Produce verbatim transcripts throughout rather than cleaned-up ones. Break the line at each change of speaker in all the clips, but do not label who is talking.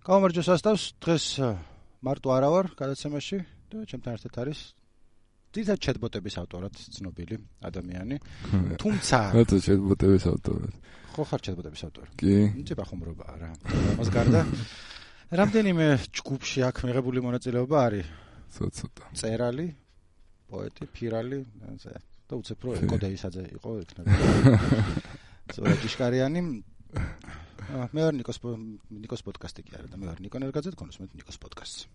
გამარჯოს ასტავს, დღეს მარტო არა ვარ გადაცემაში და ჩემთან ერთად არის ძირითადად ჩატბოტების ავტორად ცნობილი ადამიანი. თუმცა
რატო ჩატბოტების ავტორად?
ხო ხარ ჩატბოტების ავტორი?
კი.
იცი ბახუმრობაა რა. ამას გარდა რამდენიმე ჯგუფში აქ მიღებული მონაწილეობა არის.
ცოტა.
წერალი, პოეტი, ფირალი, და უცებ რო ეკოდეისაძე იყო იქნება. ზურა ჭიშკარიანი მე ვარ ნიკოს ნიკოს პოდკასტი კი არა და მე ვარ ნიკო ნერგაძე, თქვენ უსმენთ ნიკოს პოდკასტს.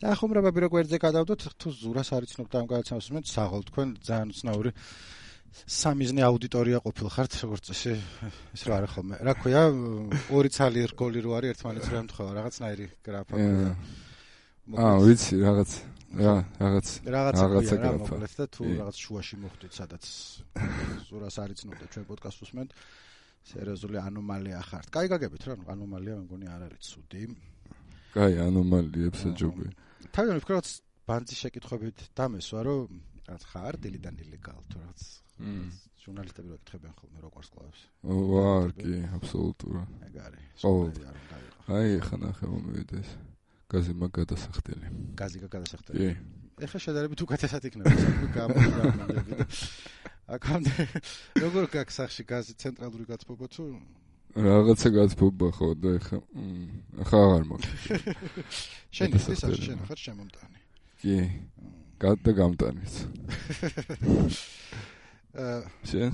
და ხუმრობა ბირო გვერდზე გადავდოთ, თუ ზურას არიცნობთ ამ გადაცემას უსმენთ, საღოლ თქვენ ძალიან უცნაური სამიზნე აუდიტორია ყოფილხართ, როგორც წესი, ის რა არა ხოლმე. რა ქვია, ორი ცალი რგოლი რო არის, ერთმანეთს რა ემთხვევა, რაღაცნაირი გრაფა.
აა, ვიცი, რაღაც რა, რაღაც
რაღაცა რა მოკლედ და თუ რაღაც შუაში მოხვდით, სადაც ზურას არიცნობთ ჩვენ პოდკასტს უსმენთ, სერიოზული ანომალია ხართ. კაი გაგებით რა, ანომალია მე მგონი არ არის ცუდი.
კაი, ანომალიებს ეჯობი.
თავიდან ვფიქრობ, რაღაც ბანძის შეკითხვებით დამესვა, რომ რაღაც ხარ დილიდან ილეგალ თუ რაღაც ჟურნალისტები რო ეკითხებიან ხოლმე როგორ სკლავს.
ვარ, კი, აბსოლუტურად.
ეგ არის.
აი, ხა ნახე მომივიდეს. გაზი მაგ გადასახდელი.
გაზი გადასახდელი.
კი.
ეხლა შედარებით უკეთესად იქნება, გამომდები და აქამდე როგორ გაქვს სახში გაზი ცენტრალური გაცბობა თუ
რაღაცა გაცბობა ხო და ეხლა ახლა აღარ მაქვს.
შენ ის არ შენ ხარ შემომტანი.
კი. გადა გამტანიც.
აა
შენ?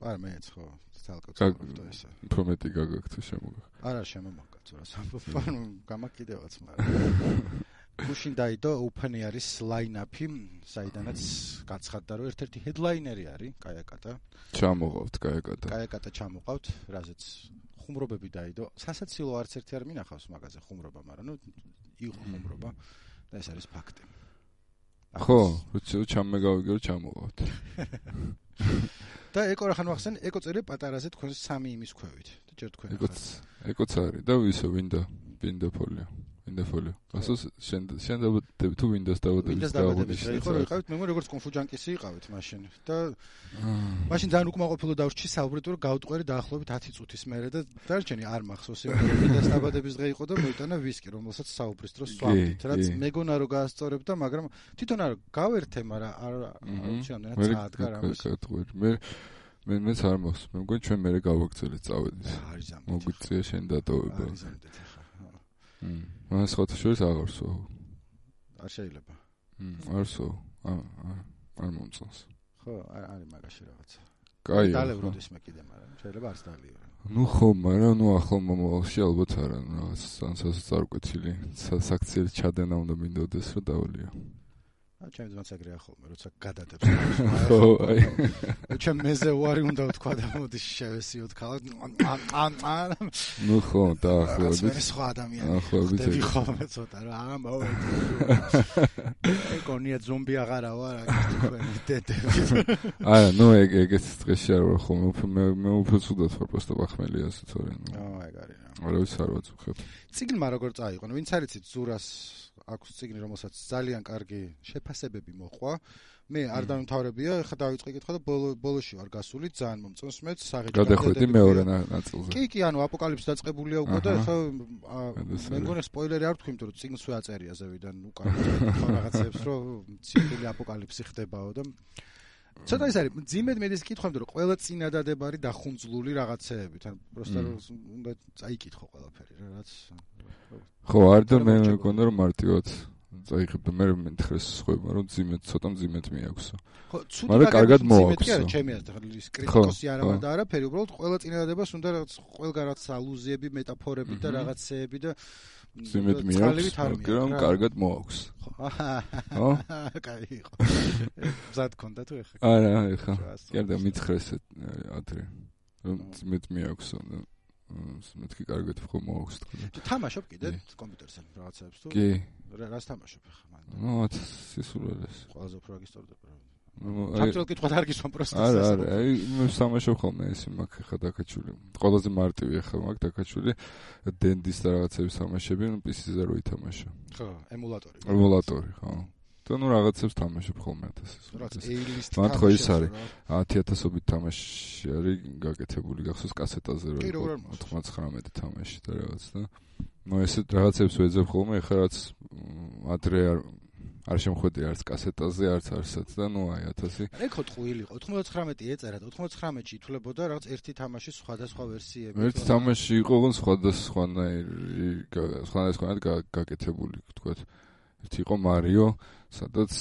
არ მეც ხო თალკო წავდა ესა.
პრომეტი გაგაქვს თუ შემოგა.
არა შემომაგაც რა სამფარნო გამაკიდევაც მაგრამ. გუშინ დაიდო ოფენი არის ლაინაპი, საიდანაც გაცხადდა რომ ერთ-ერთი ჰედლაინერი არის კაიაკატა.
ჩამოყავთ კაიაკატა.
კაიაკატა ჩამოყავთ, რაზეც ხუმრობები დაიდო. სასაცილო არც ერთი არ მინახავს მაგაზე ხუმრობა, მაგრამ ნუ იყო ხუმრობა და ეს არის ფაქტი.
ხო, როცა ჩამეგავიგე რომ ჩამოყავთ.
და ეკო რა ხან ვახსენ, ეკო წერე პატარაზე თქვენ სამი იმის ქვევით. და ჯერ თქვენ.
ეკოც, ეკოც არის და ვისო ვინდა, ვინდა ფოლიო. ვინდა ფოლიო. ასოს შენ შენ დავდები თუ ვინდას დავდები
დავდები. ხო, იყავით, მე მგონი როგორც კონფუჯანკისი იყავით მაშინ. და მაშინ ძალიან უკმაყოფილო დავრჩი საუბრით, რომ გავტყვერი დაახლოებით ათი წუთის მერე და დარჩენი არ მახსოვს იმ ვინდას დაბადების დღე იყო და მოიტანა ვისკი, რომელსაც საუბრის დროს სვამდით, რაც მეგონა რომ გაასწორებდა, მაგრამ თვითონ არ გავერთე, მაგრამ არ ვიცი ამდენად წაადგა რამეს.
მე მე მეც არ მახსოვს. მე მგონი ჩვენ მერე გავაგრძელეთ წავედით. მოგვიწია შენ დატოვება. მმ. მას ხოთა შორის აღარსო.
არ შეიძლება.
მმ, არსო. არ არ მომწონს.
ხო, არის მაგაში რაღაცა.
კაი.
დალევროდეს მე კიდე, მაგრამ შეიძლება არც დალიო.
ნუ ხო, მაგრამ ნუ ახლა მომავალში ალბათ არა, რაღაც სანსას წარკვეთილი. საქციელი ჩადენა უნდა მინდოდეს რომ დავალიო.
ა ჩემს მაცაგრია ხოლმე, როცა გადადებს.
ხო, აი.
ჩემ მეზე უარი უნდა ვთქვა და მოდი შევესიოთ ქალაქ. ან
ნუ ხო, დაახლოებით.
ეს სხვა ადამიანი.
ახლობით.
დები ხოლმე ცოტა რა, ამავე. ეკონია ზომბი აღარა ვარ, თქვენი დედები.
არა, ნუ ეგ ეგეც დღეში არ ვარ ხოლმე, მე მე უფრო ცუდად ვარ, პროსტა ბახმელია თორე.
აა, ეგ არის რა.
არა ვიცი არ ვაწუხებ.
წიგნმა როგორ წაიყო? ვინც არიცით ზურას აქვს წიგნი, რომელსაც ძალიან კარგი შეფასებები მოყვა. მე არ დამთავრებია, ხა დავიწყე კითხვა და ბოლოში ვარ გასული, ძალიან მომწონს მეც საღიჯი.
გადახვედი მეორე ნაწილზე.
კი, კი, ანუ აპოკალიფსი დაწყებულია უკვე და ხა მე მგონი სპოილერი არ ვთქვი, იმიტომ რომ წიგნს ვაწერია ზევიდან უკან ხო რაღაცებს, რომ ციფრული აპოკალიფსი ხდებაო და ცოტა ის არის, ძიმედ მედის კითხვა, იმიტომ რომ ყველა წინადადებარი დახუნძლული რაღაცეებით, ანუ პროსტა უნდა წაიკითხო ყველაფერი რა, რაც
ხო, არ და მე მგონი რომ მარტივად წაიღებ და მე მეთხრეს სხვება, რომ ძიმედ ცოტა ძიმედ მიაქვსო.
ხო, ცუდი
მაგრამ კარგად მოაქვსო.
არა, ჩემი აზრით, კრიტიკოსი არა ვარ და არაფერი, უბრალოდ ყველა წინადადებას უნდა რაღაც ყველგან რაღაც ალუზიები, მეტაფორები და რაღაცეები და
ძიმედ მიაქვს, მაგრამ კარგად მოაქვს. ხო?
კაი იყო. ზად კონდა თუ ეხა.
არა, ეხა. კიდე მითხრეს ადრე. რომ ძიმედ მიაქვსო და მეთქი კარგად ხო მოაქვს თქო.
თამაშობ კიდე კომპიუტერზე რაღაცებს თუ?
კი.
რას თამაშობ ხა მან?
ნუ სისულელეს.
ყველაზე უფრო გისტორდება.
ნუ
თამაშობ კითხვა არ გისვამ პროსტა.
არა, არა, აი მე თამაშობ ხოლმე ეს მაგ ხა დაკაჩული. ყველაზე მარტივი ხა მაგ დაკაჩული დენდის და რაღაცების თამაშები, ნუ პი სიზე რო ითამაშა.
ხო, ემულატორი.
ემულატორი, ხო. და ნუ რაღაცებს თამაშობ ხოლმე ათასის.
რაღაც A-list
მან ხო ის არის ათი ათასობით თამაში არის გაკეთებული გახსოვს კასეტაზე რო იყო ოთხმოცდათხმეტი თამაში და რაღაც და ნუ ესე რაღაცებს ვეძებ ხოლმე ეხლა რაც ადრე არ არ შემხვედი არც კასეტაზე არც არსად და ნუ აი ათასი
ეკო ტყუილი იყო ოთხმოცდათხმეტი ეწერა ოთხმოცდათხმეტში ითვლებოდა რაღაც ერთი თამაში სხვადასხვა ვერსიები
ერთი თამაში იყო ოღონდ სხვადასხვანაირი სხვადასხვანაირად გაკეთებული თქვათ ერთი იყო მარიო სადაც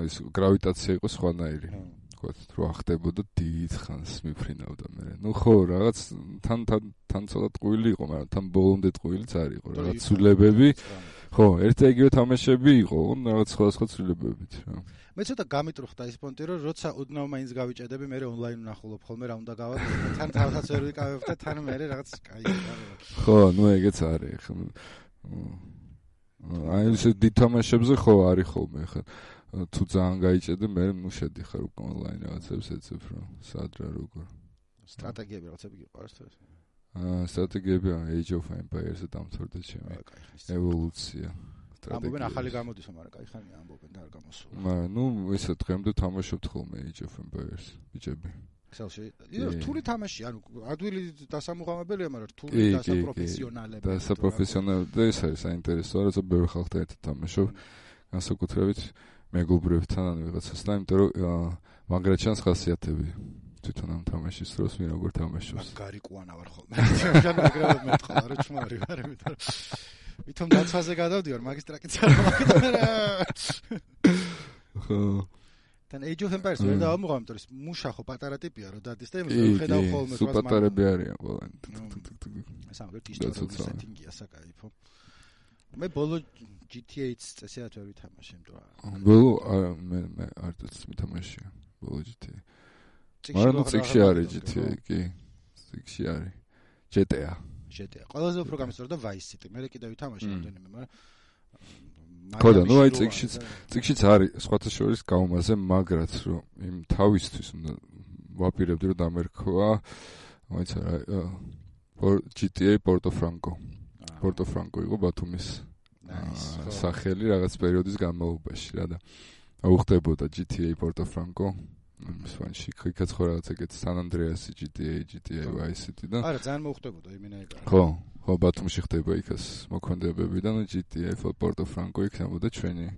ის გრავიტაცია იყო სხვანაირი თქვათ რო ახდებოდა დიდ ხანს მიფრინავდა მე ნუ ხო რაღაც თან თან თან ცოტა ტყუილი იყო მაგრამ თან ბოლომდე ტყუილიც არ იყო რაღაც ცვლილებები ხო ერთ და იგივე თამაშები იყო რაღაც სხვადასხვა ცვლილებებით რა
მე ცოტა გამიტრუხდა ის პონტი რომ როცა უდნავ მაინც გავიჭედები მე ონლაინ ვნახულობ ხოლმე რა უნდა გავა თან თავსაც ვერ ვიკავებ და თან მე რაღაც კაი
ხო ნუ ეგეც არის ხო აი ეს დითამაშებზე ხო არის ხოლმე ხა თუ ძალიან გაიჭედე მე ნუ შედიხარ უკვე ონლაინ რაღაცებს ეცებ რა სად რა როგორ
სტრატეგიები რაღაცები გიყვარს თუ
აა სტრატეგიები Age of Empires-ზე დამთავრდა ჩემი ევოლუცია
ამბობენ ახალი გამოდისო მაგრამ კაი ხანია ამბობენ და არ გამოსულა
მაგრამ ნუ ესე დღემდე თამაშობთ ხოლმე Age of Empires ბიჭები
ქსელში რთული თამაში ანუ ადვილი დასამუღამებელია მაგრამ რთული დასაპროფესიონალები
დასაპროფესიონალები ეს არის საინტერესო როცა ბევრი ხალხთან ერთად თამაშობ განსაკუთრებით მეგობრებთან ან ვიღაცასთან იმიტომ რომ მაგრა ჩანს ხასიათები თვითონ ამ თამაშის დროს მე როგორ თამაშობს
მაგარი კვანა ვარ ხოლმე ჯან მაგრად მეთქვა რა ჩმარი ვარ იმიტომ ვითომ დაცვაზე გადავდივარ მაგისტრაკიც არ მაგდარა
ხო
თან Age of Empires ვერ დავამუღამ იმიტომ რომ მუშა ხო პატარა ტიპია რომ დადის და იმის ხედავ ხოლმე
სულ პატარები არიან ყველანი
ეს ამბობ ისტორიული სეტინგია საკაიფო მე ბოლო ჯი თი ეი-ს წესიათ ვერ ვითამაშე იმიტომ რომ
ბოლო მე მე არც მითამაშია ბოლო ჯი თი ეი მაგრამ ციკში არის ჯი თი ეი კი ციკში არის ჯი ტი ეი
ჯი ტი ეი ყველაზე უფრო გამისტორდა Vice City მე კიდევ ვითამაშე რამდენიმე მაგრამ
ხოდა ნუ აი ციკშიც ციკშიც არის სხვათა შორის გაუმაზე მაგრაც რომ იმ თავისთვის უნდა ვაპირებდი რომ დამერქვა მაინც არა ჯი ტი ეი Porto Franco Porto Franco იყო ბათუმის სახელი რაღაც პერიოდის განმავლობაში რა და აუხდებოდა ჯი ტი ეი Porto Franco ის ვანში იქაც ხო რაღაც ეგეთ San Andreas ჯი ტი ეი ჯი ტი ეი Vice City და
არა ძალიან მოუხდებოდა იმენაირად
ხო ხო ბათუმში ხდება იქაც მოქმედებები და ჯი ტი ეი Porto Franco იქნებოდა ჩვენი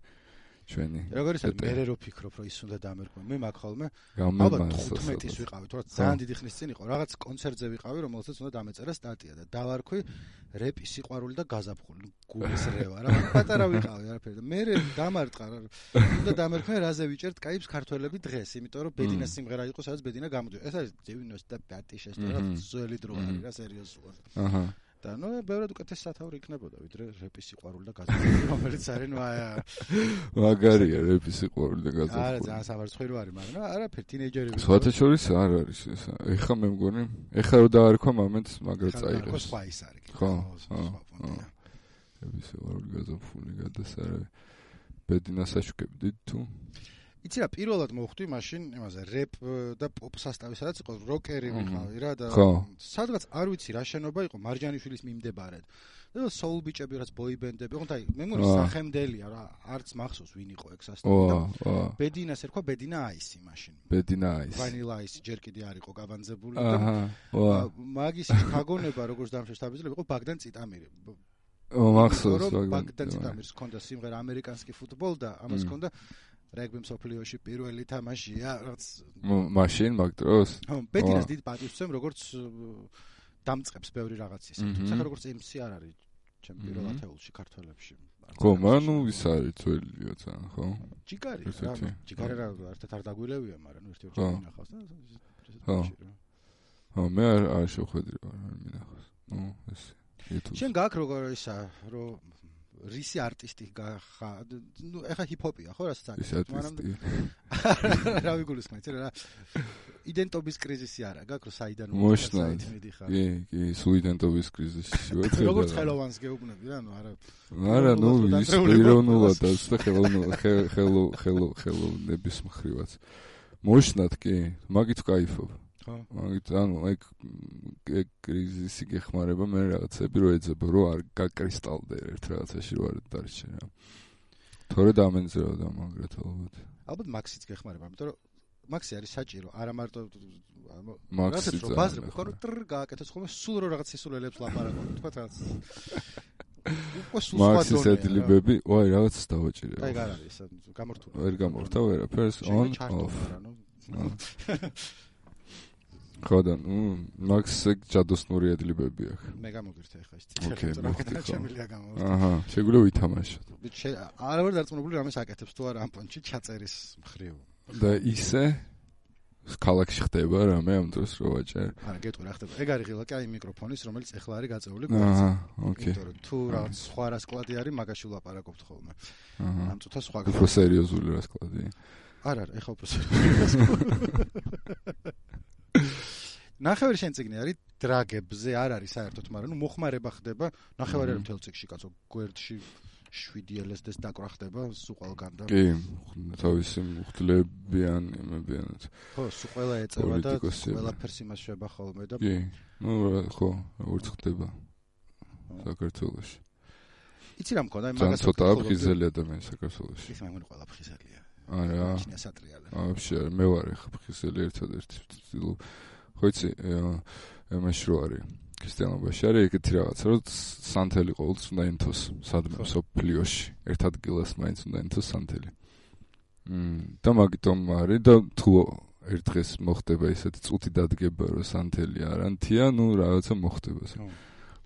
ჩვენი
როგორ ისე მე რო ფიქრობ რომ ის უნდა დამერქვა მე მაგ ხოლმე ალბათ ხუთმეტის ვიყავი თორე ძალიან დიდი ხნის წინ იყო რაღაც კონცერტზე ვიყავი რომელსაც უნდა დამეწერა სტატია და დავარქვი რეპი სიყვარული და გაზაფხული გულის რევა რა პატარა ვიყავი არაფერი და მე დამარტყა უნდა დამერქვა რაზე ვიჭერთ კაიფს ქართველები დღეს იმიტომ რომ ბედინას სიმღერა იყო სადაც ბედინა გამოდიოდა ეს არის девяносто пятый шестой ძველი დრო არის რა სერიოზულად აჰა და ნუ ბევრად უკეთეს სათაური იქნებოდა ვიდრე რეპის სიყვარული და გაზაფხული რომელიც არის ნუ აი
მაგარია რეპის სიყვარული და გაზაფხული
არა ძალიან სამარცხვირო არის მაგრამ არაფერი თინეიჯერები
სხვათა შორის არ არის ეს ეხა მე მგონი ეხა რო დაარქვა მომენტს მაგრა წაიღეს
ხო სხვა ის არის
ხო რეპის სიყვარული გაზაფხული გადასარავი ბედინას აშუქებდით თუ
იცი რა პირველად მოხვდი მაშინ იმაზე რეპ და პოპ სასტავი სადაც იყო როკერი ვიყავი რა და სადღაც არ ვიცი რა შენობა იყო მარჯანიშვილის მიმდებარედ და soul ბიჭები რაც boy band-ები ხო და მე მგონი სახელმდელია რა არც მახსოვს ვინ იყო ეგ სასტავი და ბედინას ერქვა ბედინა აისი მაშინ
ბედინა აისი
ვანილა აისი ჯერ კიდე არ იყო გავანძებული და მაგის თაგონება როგორც დამშეშტაბიძელი იყო ბაგდან წიტამირი
მახსოვს
ბაგდან წიტამირის ჰქონდა სიმღერა ამერიკანსკი ფუტბოლ და ამას ჰქონდა რეგბი მსოფლიოში პირველი თამაშია რაც
მაშინ მაგ დროს
ხო ბედინას დიდ პატივს ვცემ როგორც დამწყებს ბევრი რაღაცის თუმცა როგორც ემ სი არ არის ჩემ პირველ ათეულში ქართველებში
ხო მაგრამ ნუ ის არის ძველია ძალიან ხო
ჯიგარი რა ჯიგარი რა ერთად არ დაგვილევია მაგრამ ნუ ერთი-ერთი მინახავს და
ხო ხო მე არ შეხვედრი არ მინახავს ნუ ეს
შენ გაქვს როგორ ისა რომ რისი არტისტი გახა ნუ ეხა ჰიპ-ჰოპია ხო რასაც
აკეთებ მაგრამ
რა ვიგულისხმე იცი რა იდენტობის კრიზისი არა გაქვს რომ საიდან
მოშნად კი კი სულ იდენტობის კრიზისი ვარ
როგორც ხელოვანს გეუბნები რა ნუ არა
არა ნუ ის პიროვნულად და ხელო ხელო ხელოვნების მხრივაც მოშნად კი მაგით кайფობ მაგით ანუ ეგ ეგ კრიზისი გეხმარება მე რაღაცები რო ეძებო რო არ გაკრისტალდე ერთ რაღაცაში რო არ დარჩე რა თორე დამენზეოდა მაგრად ალბათ
ალბათ მაქსიც გეხმარება იმიტომ რომ მაქსი არის საჭირო არა მარტო
მაქსი
რო ბაზრები ხო რო ტრ გააკეთოს ხოლმე სულ რო რაღაც სისულელებს ლაპარაკობ თქვა რაღაც უკვე სულ სხვა
მაქსის ედლიბები ვაი რაღაცას დავაჭირე
აი არ არის გამორთული
ვერ გამორთა ვერაფერს on off ხოდა ნუ მაქსზე ჯადოსნური ედლიბები აქვს
მე გამოგირთა ეხლა ის ციხე ჩემილია გამოვიდა
აჰა შეგვიძლია ვითამაშოთ
არა ვარ დარწმუნებული რამეს აკეთებს თუ არა ამ პონჩი ჩაწერის მხრივ
და ისე ქალაქში ხდება რამე ამ დროს რო ვაჭერ
არა გეტყვი რა ხდება ეგ არის ღილაკი აი მიკროფონის რომელიც ეხლა არის გაწეული
აჰა ოკეი
იმიტომ რომ თუ რაღაც სხვა რასკლადი არის მაგაში ვლაპარაკობთ ხოლმე ამ წუთას სხვა
უფრო სერიოზული რასკლადი
არა არა ეხლა უფრო სერიოზული ნახევარი შენ წიგნი არის დრაგებზე არ არის საერთოდ მაგრამ ნუ მოხმარება ხდება ნახევარი არის მთელ წიგნში კაცო გვერდში შვიდი ელესდეს დაკვრა ხდება სულ ყველგან და
კი თავისი მუხტლებიან იმებიანად
ხო სულ ყველა ეწევა და ყველაფერს იმას შეება ხოლმე და
კი ნუ ხო როგორც ხდება საქართველოში
იცი რა მქონდა იმაგას
ცოტა ფხიზელი ადამიანი საქართველოში
ის მე მგონი ყველა ფხიზელია
არა
ჩინია სატრიალე
вообще მე ვარ ხა ფხიზელი ერთადერთი ხო იცი იმაში რო არის ქრისტიანობაში არის ეგეთი რაღაცა რომ სანთელი ყოველთვის უნდა ენთოს სადმე სოფლიოში ერთ ადგილას მაინც უნდა ენთოს სანთელი მმ და მაგიტომ არის და თუ ერთ დღეს მოხდება ისეთი წუთი დადგება რომ სანთელი არ ანთია ნუ რაღაცა მოხდება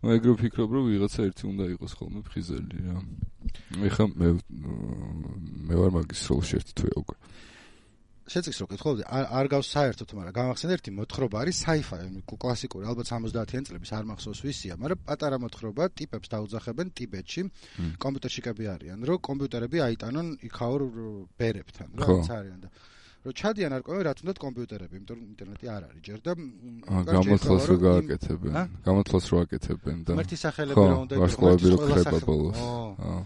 ნუ ეგრე ვფიქრობ რომ ვიღაცა ერთი უნდა იყოს ხოლმე ფხიზელი რა ეხლა მე მე ვარ მაგის როლში ერთი თვე უკვე
შეწიქს რო კითხულობდი არ გავს საერთოდ მაგრამ გამახსენე ერთი მოთხრობა არის sci-fi კლასიკური ალბათ სამოცდაათიან წლების არ მახსოვს ვისია მაგრამ პატარა მოთხრობა ტიპებს დაუძახებენ ტიბეტში კომპიუტერშიკები არიან რომ კომპიუტერები აიტანონ იქაურ ბერებთან რაც არიან და რომ ჩადიან არ ყავენ რა თუნდაც კომპიუტერები იმიტომ რომ ინტერნეტი არ არის ჯერ და
გამოთვლას რო გააკეთებენ გამოთვლას რო აკეთებენ და
მერტი სახელები რა უნდა
იყოს ყველა ბოლოს აა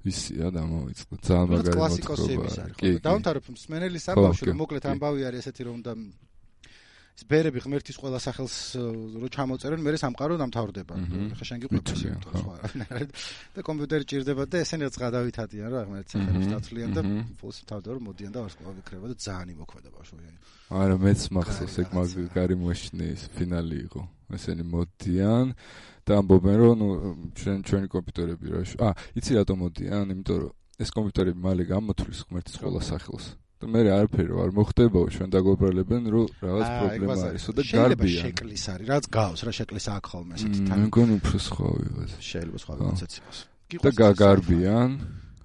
ისია დამოვიწყდა ძალიან მაგარი
მოთხრობა კი დაუნთარებ მსმენელის ამბავში რომ მოკლედ ამბავი არის ესეთი რომ და ის ბერები ღმერთის ყველა სახელს რო ჩამოწერენ მე სამყარო დამთავრდება ხა შენ გიყვება სხვა და კომპიუტერი ჭირდება და ესენი რაც გადავითადიან რა ღმერთის სახელს დაცვლიან და ფულს თავდა რომ მოდიან და ვარსკვლავი ქრება და ძალიან იმოქმედა ბავშვი
არა მეც მახსოვს ეგ მაგარი მოშნის ფინალი იყო ესენი მოდიან და ამბობენ რომ ნუ ჩვენ ჩვენი კომპიუტერები რა ა იცი რატომ მოდიან იმიტომ რომ ეს კომპიუტერები მალე გამოთვლის ღმერთის ყველა სახელს და მე არაფერი არ მოხდებაო ჩვენ დაგვებრალებენ რომ რაღაც პრობლემა არისო და გარბიან
შეკლის არის რაც გავს რა შეკლის აქ ხოლმე ესეთი
თან მე მგონი უფრო სხვა ვიღაც
შეიძლება სხვა ვიღაცაც იყოს
და გაგარბიან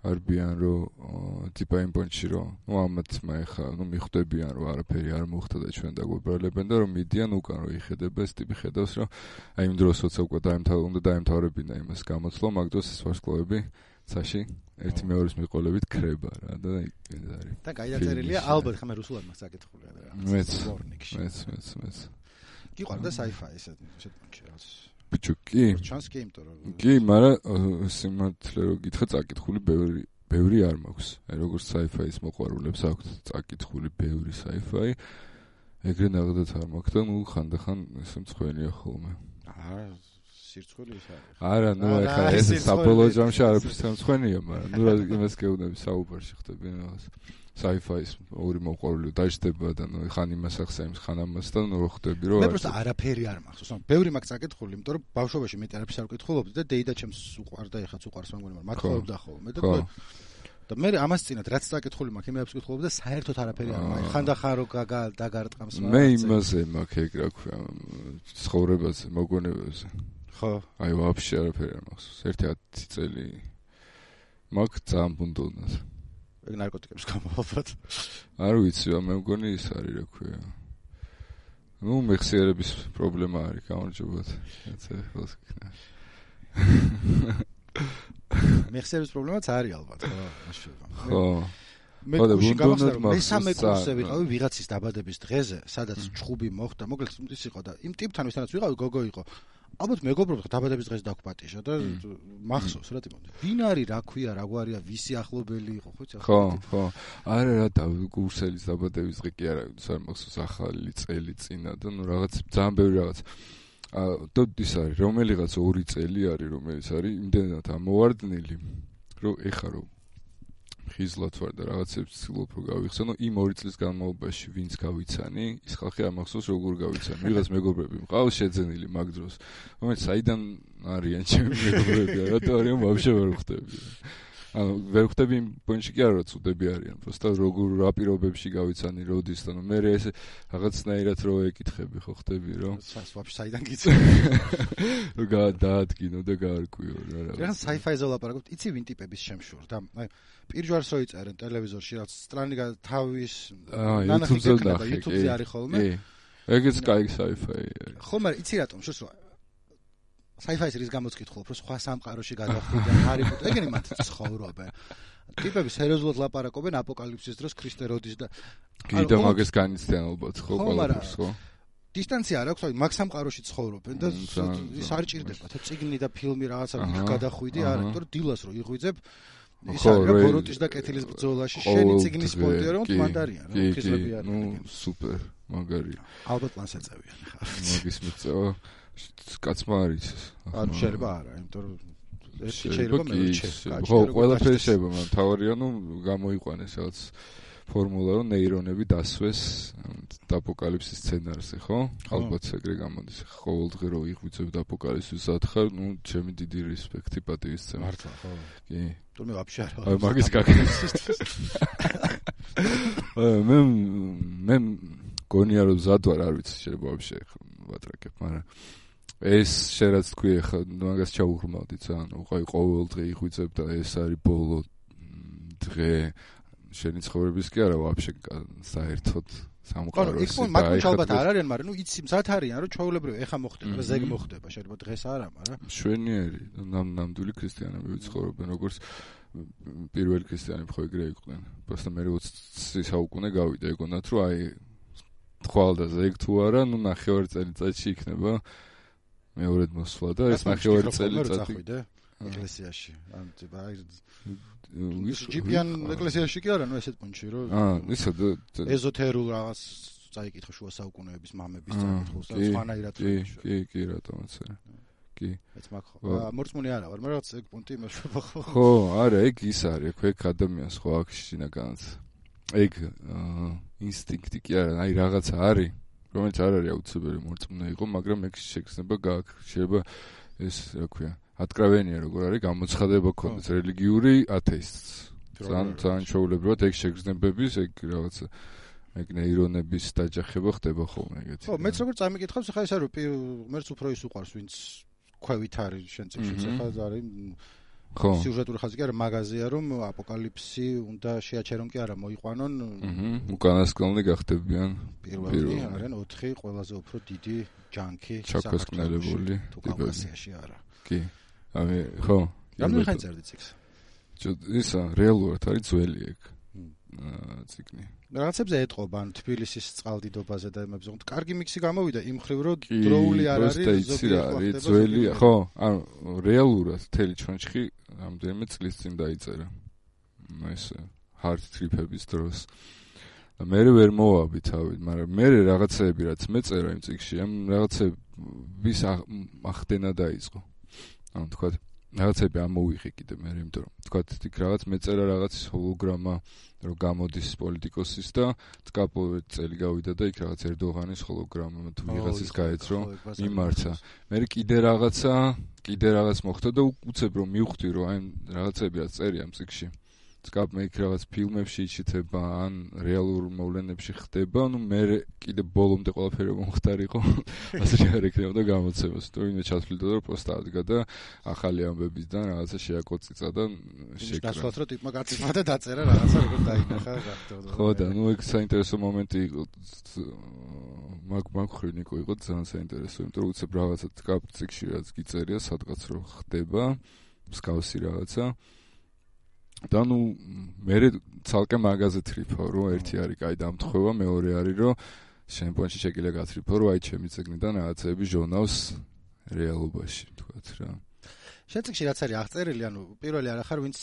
არბიან რომ ტიპა იმ პონჩი რომ ნუ ამათ მე ხა ნუ მიხვდებიან რომ არაფერი არ მოხდა და ჩვენ დაგვებრალებენ და რომ მიდიან უკან რომ იხედება ეს ტიპი ხედავს რომ აი იმ დროსაც უკვე დაემთავრა უნდა დაემთავრებინა იმას გამოცვლა მაგ დროს ეს ვარსკვლავები ცაში ერთი მეორეს მიყოლებით ქრება რა და ეს არის
და გაიაწერილია ალბათ ხა მე რუსულად მას აკითხული რა
მეც მეც მეც მეც
გიყვარდა sci-fi ესეთ პონჩი რაც
ბიჭო კი
ჩანს კი იმიტომ რომ
კი მაგრამ სიმართლე რომ გითხრა წაკითხული ბევრი ბევრი არ მაქვს აი როგორც sci-fi-ის მოყვარულებს აქვს წაკითხული ბევრი sci-fi ეგრე ნაღდათ არ მაქვს და ნუ ხანდახან ესე მწვენია ხოლმე
აა სირცხვილი ის არის
არა ნუ ეხლა ეს საბოლოო ჯამში არაფერს მწვენია მაგრამ ნუ რა იმას გეუბნები საუბარში ხდები რაღაც sci-fi-ის ორი მოყვარული დაждდება და ნუ ხან იმას ახსენებს ხან ამას და ნუ ხდები რომ
მე პროსტა არაფერი არ მახსოვს ანუ ბევრი მაგ წაკითხული იმიტომ რომ ბავშვობაში მე არაფერს არ ვკითხულობდი და დეიდა ჩემს უყვარდა ეხაც უყვარს მეგონი მაგრამ მათხოვებდა ხოლმე და და მე ამას წინათ რაც წაკითხული მაქვს იმებს ვკითხულობდი და საერთოდ არაფერი არ მაქვს ხანდახან რო დაგარტყამს
მე იმაზე მაქვს ეგ რა ქვია ცხოვრებაზე მოგონებაზე
ხო
აი ვაფშე არაფერი არ მახსოვს ერთი ათი წელი მაქვს ძალიან ბუნდოვნად ეგ
ნარკოტიკებს გამოვაბად.
არ ვიცი, მე მგონი ის არის რა ქვია. ნუ მეხსიერების პრობლემა არის გამარჯობათ. ეცე ხელს გქნა.
მეხსიერების პრობლემაც არის ალბათ, ხო, მაშინ.
ხო.
მე გუში გამახსოვს რომ მესამე კურსზე ვიყავი ვიღაცის დაბადების დღეზე, სადაც ჩხუბი მოხდა, მოკლედ ის იყო და იმ ტიპთან ვისთანაც ვიყავი, გოგო იყო. ალბათ მეგობრობთ დაბადების დღეს დაგვპატიშა და მახსოვს რა თქმა უნდა. ვინ არის, რა ქვია, რა გვარია, ვისი ახლობელი იყო, ხო იცი?
ხო, ხო. არა რა და კურსელის დაბადების დღე კი არა, არ მახსოვს ახალი წელი წინა და ნუ რაღაც ძალიან ბევრი რაღაც. აა და ის არის, რომელიღაც ორი წელი არის, რომელიც არის იმდენად ამოვარდნილი, რომ ეხა რომ ხიზლად ვარ და რაღაცებს ცდილობ რომ გავიხსენო იმ ორი წლის განმავლობაში ვინც გავიცანი ის ხალხი არ მახსოვს როგორ გავიცანი ვიღაც მეგობრები მყავს შეძენილი მაგ დროს რომელიც საიდან არიან ჩემი მეგობრები რატო არიან ვაფშე ვერ ხვდები ანუ ვერ ხვდები იმ პონჩი კი არა რომ წუდები არიან просто როგორ რა პირობებში გავიცანი როდის და ნუ მე ეს რაღაცნაირად რო ეკითხები ხო ხვდები რომ
ვაფშე საიდან გიცნობ
რა დაადგინო და გაარკვიო რა
რა რა sci-fi-ზე ვლაპარაკობთ იცი ვინ ტიპების შემშურდა აი პირჯვარს რო იწერენ ტელევიზორში რაც სტრანი თავის
YouTube-ზე და
YouTube-ზე არის ხოლმე
ეგეც კაი sci-fi
ხო მაგრამ იცი რატომ შუს sci-fi-ს რის გამოც კითხულობ რომ სხვა სამყაროში გადავხვიდე ჰარი პოტერ ეგენი მათ ცხოვრობენ ტიპები სერიოზულად ლაპარაკობენ აპოკალიფსის დროს ქრისტე როდის და
კი და მაგას განიცდიან ალბათ ხო ყველაფერს ხო
დისტანცია არ აქვს აი მაგ სამყაროში ცხოვრობენ და ის არ ჭირდება და წიგნი და ფილმი რაღაცა გადახვიდი არა იმიტომ რომ დილას რო იღვიძებ ის არის ბოროტის და კეთილის ბრძოლაში შენი წიგნის სპონტია რომ მანდარიან რა ხიზები არის
ნუ სუპერ მაგარია
ალბათ პლანს ეწევიან ხა
მაგის მიწევა კაცმა არის
ანუ შეიძლება არა იმიტომ რომ ეს შეიძლება მე შეიძლება
ხო ყველაფერი შეიძლება მაგრამ თავარია ნუ გამოიყვანეს რაღაც ფორმულა რომ ნეირონები დასვეს აპოკალიფსის სცენარზე ხო ალბათ ეგრე გამოდის ყოველდღე რო იღვიძებ აპოკალიფსის სათხარ ნუ ჩემი დიდი რესპექტი პატივისცემა
მართლა ხო
კი
თუმცა ვაფშე არა
აი მაგის გაკეთება მე მე გონია რომ ზად ვარ არ ვიცი შეიძლება ვაფშე ვატრაკებ მაგრამ ეს შეიძლება თქვი ხა მაგას ჩაუღრმავდი ძალიან უყაი ყოველდღე იღვიძებ და ეს არის ბოლო დღე შენი ცხოვრების კი არა ვაფშე საერთოდ სამყაროში
და აი ხო ალბათ არ არიან მაგრამ ნუ იცი მზად არიან რომ ჩვეულებრივ ეხა მოხდება და ზეგ მოხდება შეიძლება დღეს არა მაგრამ
შვენიერი ნამდვილი ქრისტიანები ვიცხოვრობენ როგორც პირველი ქრისტიანები ხო ეგრე იყვნენ просто მე ოცი საუკუნე გავიდა ეგონათ რომ აი თვალ და ზეგ თუ არა ნუ ნახევარი წელიწადში იქნება მეორედ მოსვლა და ეს ნახევარი წელიწადი
ეკლესიაში ან ის ჯიპიან ეკლესიაში კი არა ნუ ესეთ პუნჩი რომ
აა ისა და
ეზოთერულ რაღაც წაიკითხა შუა საუკუნეების მამების წაიკითხულს და სხვანაირად
კი კი კი რატომაც არა კი
ეს მაგ ხო მორწმუნე არა ვარ მაგრამ რაღაც ეგ პუნქტი იმაშობა ხო
ხო არა ეგ ის არის ხო ეგ ადამიანს ხო აქ შინაგანად ეგ ინსტინქტი კი არა აი რაღაცა არის რომელიც არ არის აუცილებელი მორწმუნე იყო მაგრამ ეგ შეგრძნება გააქვს შეიძლება ეს რა ქვია ატკრავენია როგორ არის გამოცხადება ქონდეს რელიგიური ათეისტს ძალიან ძალიან ჩაულებრივად ეგ შეგრძნებების ეგ რაღაცა ეგ ნეირონების დაჯახება ხდება ხოლმე ეგეთი
ხო მეც როგორ წამიკითხავს ხა ეს არის მერც უფრო ის უყარს ვინც ქვევით არის შენ წიგნში ხა არის
ხო
სიუჟეტური ხაზი კი არა მაგაზია რომ აპოკალიფსი უნდა შეაჩერონ კი არა მოიყვანონ
უკანასკნელი გახდებიან
პირველი არიან ოთხი ყველაზე უფრო დიდი ჯანკი
ჩაქვესკნელებული
ტიპები არა
კი აი ხო
რამდენი ხანი წერდი წიგნს
ისა რეალურად არის ძველი ეგ ციგნი
რაღაცებზე ეტყობა ან თბილისის წყალდიდობაზე და იმებზე რომ კარგი მიქსი გამოვიდა იმ ხრივ რომ დროული არ არის
ზოგიერთი ძველი ხო ანუ რეალურად თელი ჩონჩხი რამდენიმე წლის წინ დაიწერა ეს hard trip-ების დროს მე ვერ მოვაბი თავი მაგრამ მე რაღაცეები რაც მეწერა იმ წიგნში ამ რაღაცების ახდენა დაიწყო ანუ თქვა რაღაცები ამოვიღე კიდე მე იმიტომ რომ თქვა იქ რაღაც მეწერა რაღაც ჰოლოგრამა რომ გამოდის პოლიტიკოსის და თკაპოვე წელი გავიდა და იქ რაღაც ერდოღანის ჰოლოგრამა თუ ვიღაცის გაეცრო მიმართა მე კიდე რაღაცა კიდე რაღაც მოხდა და უცებ რომ მივხვდი რომ აი რაღაცები რაც წერია ამ წიგნში თკაპ მე იქ რაღაც ფილმებში იჩითება ან რეალურ მოვლენებში ხდება ნუ მე კიდე ბოლომდე ყველაფერი მომხდარიყო ასე არ ეკნებოდა გამოცემას თუ ვინმე ჩათვლიდა რომ პროსტა ადგა და ახალი ამბებისგან რაღაცა შეაკოწიცა და
შეკრა გასვლათ რომ ტიპმა გაწიმა და დაწერა რაღაცა როგორ დაინახა გახდებოდა
ხო და ნუ ეგ საინტერესო მომენტი იყო მაგ მაგ ხრინიკო იყო ძალიან საინტერესო იმიტომ რომ უცებ რაღაცა თკაპ წიგნში რაც გიწერია სადღაც რომ ხდება მსგავსი რაღაცა. და ნუ მე ცალკე მაგაზე თრიფავ, რომ ერთი არის კაი დამთხევა, მეორე არის რომ შემპონში შეგიძლია გათრიფო, რომ აი ჩემი წიგნიდან რაღაცები ჟურნალს რეალობაში, თქვათ რა.
შენ წიგნში რაც არის აღწერილი, ანუ პირველი არ ახარ, ვინც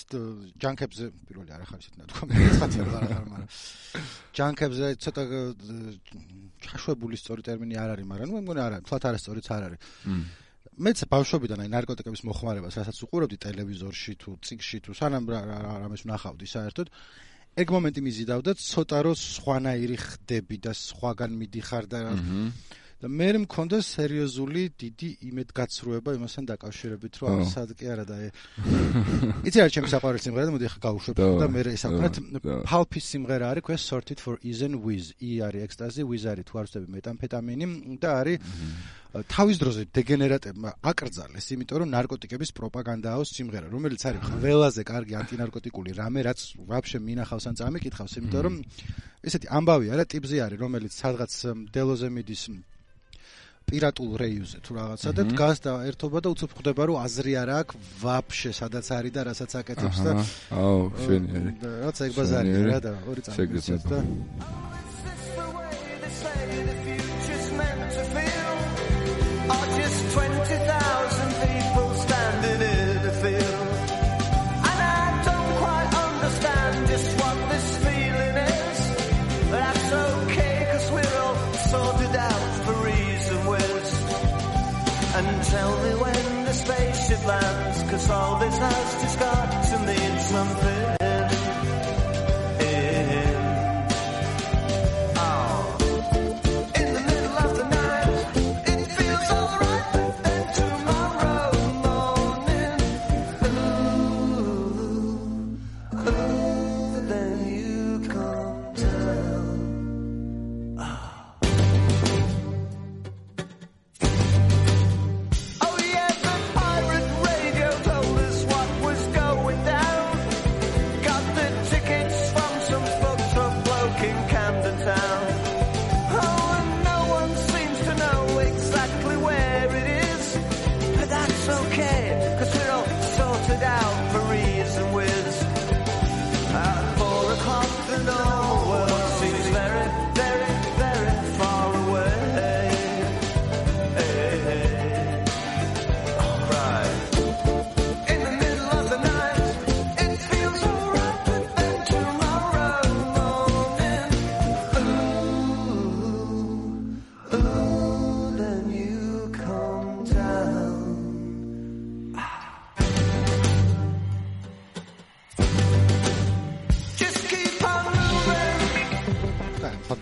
ჯანკებზე, პირველი არ ახარ, ისეთ ნათქვა, მეცხრე არ ახარ, მაგრამ ჯანკებზე ცოტა ჩაშვებული სწორი ტერმინი არ არის, მაგრამ ნუ მგონი არ არის, თვათ არასწორიც არ არის. მეც ბავშვობიდან აი ნარკოტიკების მოხმარებას, რასაც უყურებდი ტელევიზორში თუ წიგნში თუ სანამ რამეს ვნახავდი საერთოდ, ეგ მომენტი მიზიდავდა, ცოტა რო სხვანაირი ხდები და სხვაგან მიდიხარ და და მე მქონდა სერიოზული დიდი იმედგაცრუება იმასთან დაკავშირებით, რომ ასად კი არა და იცი რა ჩემი საყვარელი სიმღერა და მოდი ახლა გავუშვებ და მე ისაუბრეთ Pulp-ის სიმღერა არის, ქვია Sorted for Ease and Wiz. E არის ecstasy, Wiz არის თუ არ ვწდები მეტამფეტამინი და არის თავის დროზე დეგენერატებმა აკრძალეს, იმიტომ რომ ნარკოტიკების პროპაგანდაოს სიმღერა, რომელიც არის ყველაზე კარგი ანტინარკოტიკული რამე, რაც ვაფშე მინახავს ან წამიკითხავს, იმიტომ რომ ესეთი ამბავია რა ტიპზე არის, რომელიც სადღაც დელოზე მიდის პირატულ რეიუზე თუ რაღაცა და დგას და ერთობა და უცებ ხვდება რომ აზრი არ აქვს ვაფშე სადაც არის და რასაც აკეთებს და
აუ შვენიერი
რაც ეგ ბაზარია რა და ორი წამიგცეთ და
Tell me when the spaceship lands, cause all this has just got to mean something. In, oh. In the middle of the night, it feels alright, but then tomorrow morning, ooh, ooh, then you come down. Oh.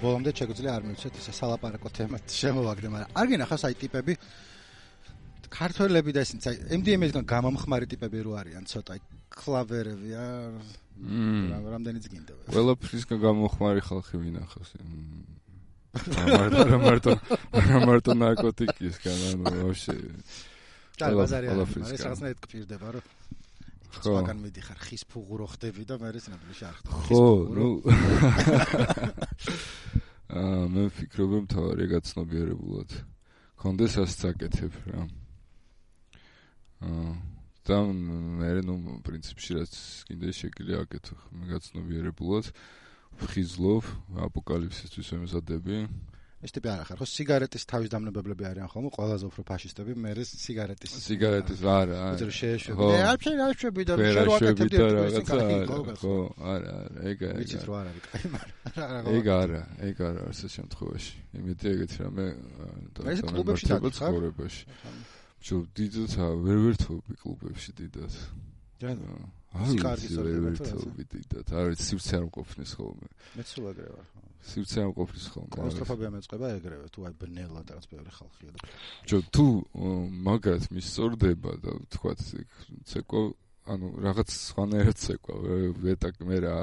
ბოლომდე შეგვიძლია არ მივცეთ ეს სალაპარაკო თემა შემოვაგდე, მაგრამ არ გინახავს აი ტიპები ქართველები და ისინი აი M D M-ისგან გამომხმარი ტიპები რო არიან ცოტა აი კლავერები რა რამდენიც გინდა
ყველაფრისგან გამომხმარი ხალხი ვინახავს მარტო მარტო მარტო ნარკოტიკისგან ანუ ვაფშე
და ბაზარი არის ეს რაღაცნაირად გფირდება რომ სხვაგან მიდიხარ ხის ფუღურო ხდები და მე რესინაბლი შარხთ
ხო ნუ აა მე ვფიქრობ რომ თავი გაცნობიერებულად კონდეს ასე წაკეთებ რა აა და მე ნუ პრინციპში რაც კიდე შეგვიძლია აკეთო მე გაცნობიერებულად ვხიზლობ აპოკალიფსისთვის ვემზადები
ეს ტიპი არ ახარ ხო სიგარეტის თავის დამნებებლები არიან ხოლმე ყველაზე უფრო ფაშისტები მე სიგარეტის
სიგარეტის არა
არა შეეშვები მე არ შეეშვები და შერვაკეთებდი
რაღაცა ხო არა არა ეგ არა
ვიცით რომ არ არის კაი მაგრამ
ეგ არა ეგ არა ასეთ შემთხვევაში იმედი ეგეთი რამე
ეს კლუბებში
ცხოვრებაში ჯო დიდად ვერ ვერთობი კლუბებში დიდად
აი კარგი
ვერთობი დიდად არ ვიცი სივრცე არ მყოფნის ხოლმე
მეც სულ ეგრე ვარ
სივრცე არ მყოფნის ხოლმე
კლაუსტროფობია მეწყება ეგრევე თუ აი ბნელად რაღაც ბევრი ხალხია და
ჯო თუ მაგათ მისწორდება და თქვათ ცეკვა ანუ რაღაც სხვანაირად ცეკვა ვეტაკ მე რა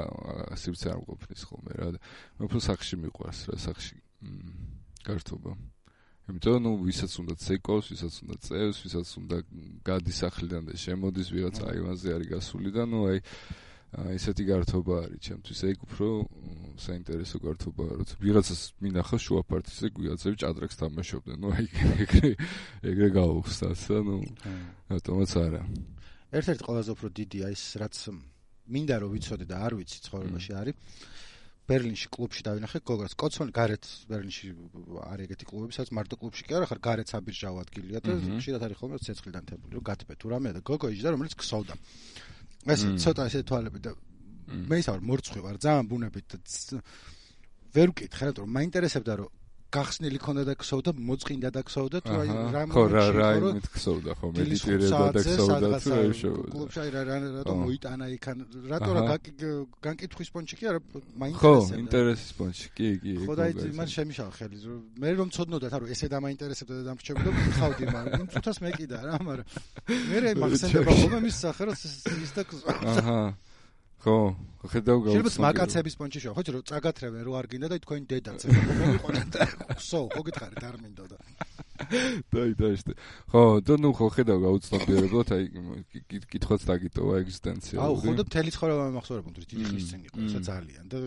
სივრცე არ მყოფნის ხოლმე რა და მე უფრო სახში მიყვარს რა სახში გართობა იმიტომ ნუ ვისაც უნდა ცეკვავს, ვისაც უნდა წევს, ვისაც უნდა გადის სახლიდან და შემოდის ვიღაც აივანზე არის გასული და ნუ აი ესეთი გართობა არის ჩემთვის ეგ უფრო საინტერესო გართობაა როცა ვიღაცას მინახავს შუა პარტიზე ვიღაცები ჭადრაკს თამაშობდნენ ნუ აი ეგრე ეგრე გავუხსნათ და ნუ რატომაც არა
ერთ-ერთი ყველაზე უფრო დიდია ის, რაც მინდა რომ ვიცოდე და არ ვიცი ცხოვრებაში არის. ბერლინში კლუბში დავინახე გოგას კოცონი გარეთ ბერლინში არის ეგეთი კლუბები, სადაც მარტო კლუბში კი არა, ხარ გარეთ საბირჟავო ადგილია და ხშირად არის ხოლმე ცეცხლიდან თებული, რომ გატბე თუ რამეა და გოგო იჯდა, რომელიც ქსოვდა. ეს ცოტა ესე თვალები და მე ისა ვარ მორცხვი ვარ, ძალიან ბუნებით და ვერ ვკითხე, რომ მაინტერესებდა რომ გახსნილი ქონდა და ქსოვდა, მოწყინდა და ქსოვდა, თუ აი რა
ხო რა რა იმით ქსოვდა, ხო მედიტირებდა და ქსოვდა თუ რა შევა.
კლუბში აი რა რატომ მოიტანა იქან, რატო რა განკითხვის პონჩი კი არა, მაინტერესებდა.
ხო, ინტერესის პონჩი, კი, კი.
ხო და აი მან შემიშალა ხელი, მე რომ ცოდნოდათ, არა ესე დამაინტერესებდა და დამრჩებოდა, ხავდი, მაგრამ თუთას მეკიდა რა, მაგრამ მე მაგსენდება ხოლმე მის სახე რომ ის და
აჰა ხო, ხედავ გავუცნობ.
შეიძლება მაკაცების პონჩი შევა, ხო, რომ წაგათრევენ რო არ გინდა და თქვენი დედაც მომიყვანეთ და სო, ხო გითხარით არ მინდო და.
დაი დაიშტე. ხო, და ნუ ხო ხედავ გავუცნობიერებლად, აი კითხვაც დაგიტოვა ეგზისტენციალური.
აუ, ხო და მთელი ცხოვრება მახსოვრებოდი, დიდი ხნის წინ იყო, ესა ძალიან და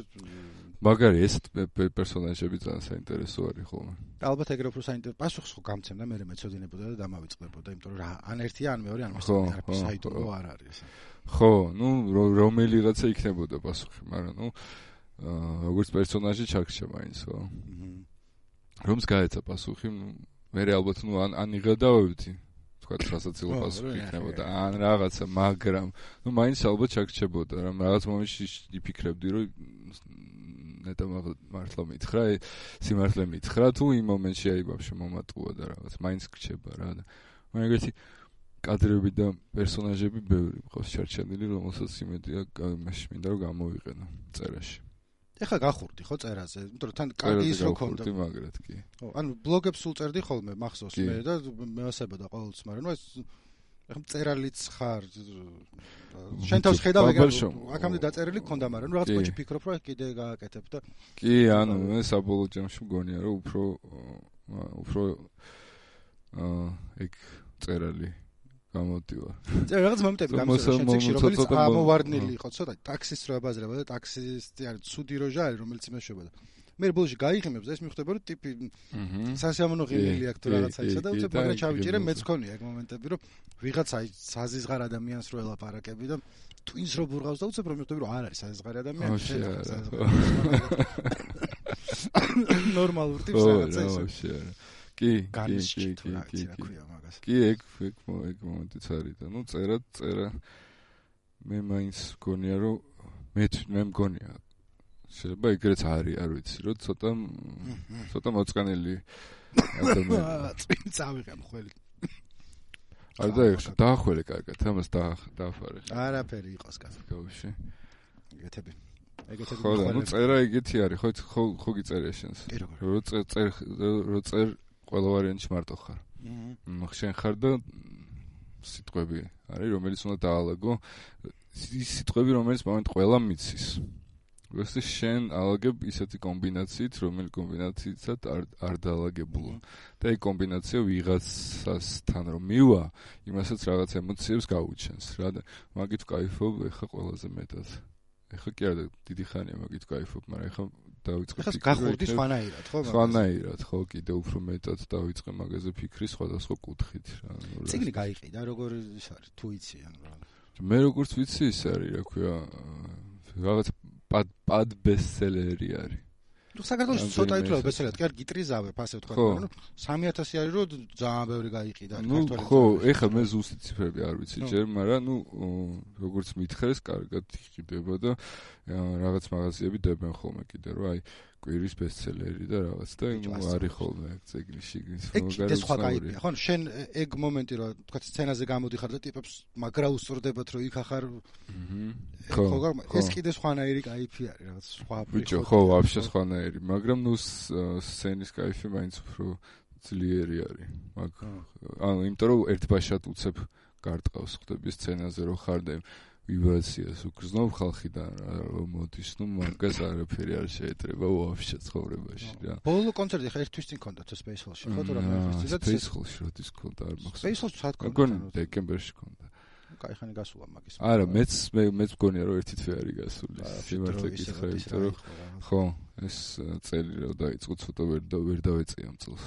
მაგარი ეს პერსონაჟები ძალიან საინტერესო არის ხოლმე.
ალბათ ეგრე უფრო საინტერესო პასუხს ხო გამცემდა, მე მეცოდინებოდა და დამავიწყდებოდა, იმიტომ რომ რა ან ერთია, ან მეორე, ან მესამე არაფერს საიდუმლო არ არის ეს.
ხო, ნუ რომელიღაცა იქნებოდა პასუხი, მაგრამ ნუ როგორც პერსონაჟი ჩაგრჩა მაინც, ხო. რომს გაეცა პასუხი, მე ალბათ ნუ ან ან იღებდავდი, თქვა სასაცილო პასუხი იქნებოდა, ან რაღაცა, მაგრამ ნუ მაინც ალბათ ჩაგრჩებოდა, რომ რაღაც მომენტში იფიქრებდი, რომ ნეტა მართლა მითხრა, სიმართლე მითხრა, თუ იმ მომენტში აი ბავშვი მომატყუა და რაღაც მაინც გრჩება რა და მაგეთი კადრები და პერსონაჟები ბევრი მყავს ჩარჩენილი, რომელსაც იმედია მაშინ მინდა რომ გამოვიყენო წერაში.
ეხლა გახურდი ხო წერაზე, იმიტომ რომ თან კარგი ის რო ქონდა.
გახურდი მაგრად კი.
ხო, ანუ ბლოგებს სულ წერდი ხოლმე მახსოვს მე და მეოსებოდა ყოველთვის, მაგრამ ნუ ეს ეხლა წერალიც ხარ. შენ თავს ხედავ ეგრე აქამდე დაწერილი ქონდა, მაგრამ ნუ რაღაც პონჩი ფიქრობ რომ კიდე გააკეთებ და
კი, ანუ მე საბოლოო ჯამში მგონია რომ უფრო უფრო აა ეგ წერალი გამოდივა.
წერა რაღაც მომენტები გამოსულა შენციკში, რომელიც ამოვარდნილი იყო, ცოტა ტაქსის რო აბაზრება და ტაქსისტი არის ცუდი როჟა არის, რომელიც იმეშვება და მე ბოლოში გაიღიმებს და ეს მიხვდება რომ ტიპი სასიამოვნო ღილილი აქვს თუ რაღაცა ისა და უცებ მაგრამ ჩავიჭირე მეც ქონია ეგ მომენტები რომ ვიღაცა საზიზღარ ადამიანს რო ელაპარაკები და twins რო ბურღავს და უცებ რომ მიხვდები რომ არ არის საზიზღარი ადამიანი ნორმალურ ტიპს რაღაცა ისა
კი,
კი, კი, კი,
კი, ეგ ეგ ეგ მომენტიც არის და ნუ წერა წერა მე მაინც მგონია რომ მე მე მგონია შეიძლება ეგრეც არის, არ ვიცი, რომ ცოტა ცოტა მოწყენილი ადამიანი.
წინ წავიღე მხოლოდ.
არ დაიხშე, დაახველე კარგად, ამას დააფარე.
არაფერი იყოს კაცო.
გავში.
ეგეთები. ეგეთები.
ხო, ნუ წერა ეგეთი არის, ხო, ხო, ხო გიწერია შენს. რო წერ წერ რო წერ ყველა ვარიანტში მარტო ხარ. აჰა. შენ ხარ და სიტყვები არის, რომელიც უნდა დაალაგო. ის სიტყვები, რომელიც მომენტ ყველა მიცის. როცა შენ ალაგებ ისეთი კომბინაციით, რომელი კომბინაციითაც არ არ დაალაგებულა. და ეს კომბინაცია ვიღაცასთან რომ მივა, იმასაც რაღაც ემოციებს გაუჩენს, რა და მაგით ვკაიფობ ეხა ყველაზე მეტად. ეხა კი არა დიდი ხანია მაგით ვკაიფობ, მაგრამ ეხა დავიწყე
ფიქრი. ეხა გახურდი სხვანაირად, ხო?
სხვანაირად, ხო, კიდე უფრო მეტად დავიწყე მაგაზე ფიქრი სხვადასხვა კუთხით, რა.
ციგნი გაიყიდა, როგორ ის არის, თუ იცი ან რა.
მე როგორც ვიცი ის არის, რა ქვია, რაღაც პად პად ბესტსელერი არის.
ნუ საქართველოს ცოტა ითვლება ბესტსელერად, კი არ გიტრიზავებ, ასე ვთქვა, მაგრამ სამი ათასი არის რომ ძალიან ბევრი გაიყიდა
ქართველებს. ნუ ხო, ეხლა მე ზუსტი ციფრები არ ვიცი ჯერ, მაგრამ ნუ როგორც მითხრეს, კარგად იყიდება და რაღაც მაღაზიები დებენ ხოლმე კიდე რომ აი კვირის ბესტსელერი და რაღაც და ნუ არის ხოლმე ეგ წიგნში
მაგარი სხვა кайფია. ხო, შენ ეგ მომენტი რომ თქვა სცენაზე გამოდიხარ და ტიპებს მაგრა უსწორდებათ რომ იქ ახარ
ხო,
ეს კიდე სხვანაირი кайფი არის, რაღაც სხვა
ბიჭო, ხო, вообще სხვანაირი, მაგრამ ნუ სცენის кайფი მაინც უფრო ძლიერი არის. მაგ ანუ იმიტომ რომ ერთბაშად უცებ გარტყავს ხდები სცენაზე რომ ხარ და ვიბრაციას უგრძნობ ხალხიდან რომ მოდის, ნუ მაგას არაფერი არ შეეტრება вообще ცხოვრებაში რა.
ბოლო კონცერტი ხა ერთ თვის წინ ქონდა თუ Space Hall-ში, ხო თუ რა მე
და Space Hall-ში როდის ქონდა არ მახსოვს.
Space Hall-ში სად ქონდა?
მგონი დეკემბერში ქონდა.
კაი ხანი გასულა მაგის.
არა, მეც მე მეც მგონია რომ ერთი თვე არის გასული. სიმართლე გითხრა, იმიტომ რომ ხო, ეს წელი რომ დაიწყო ცოტა ვერ ვერ დავეწია ამ წელს.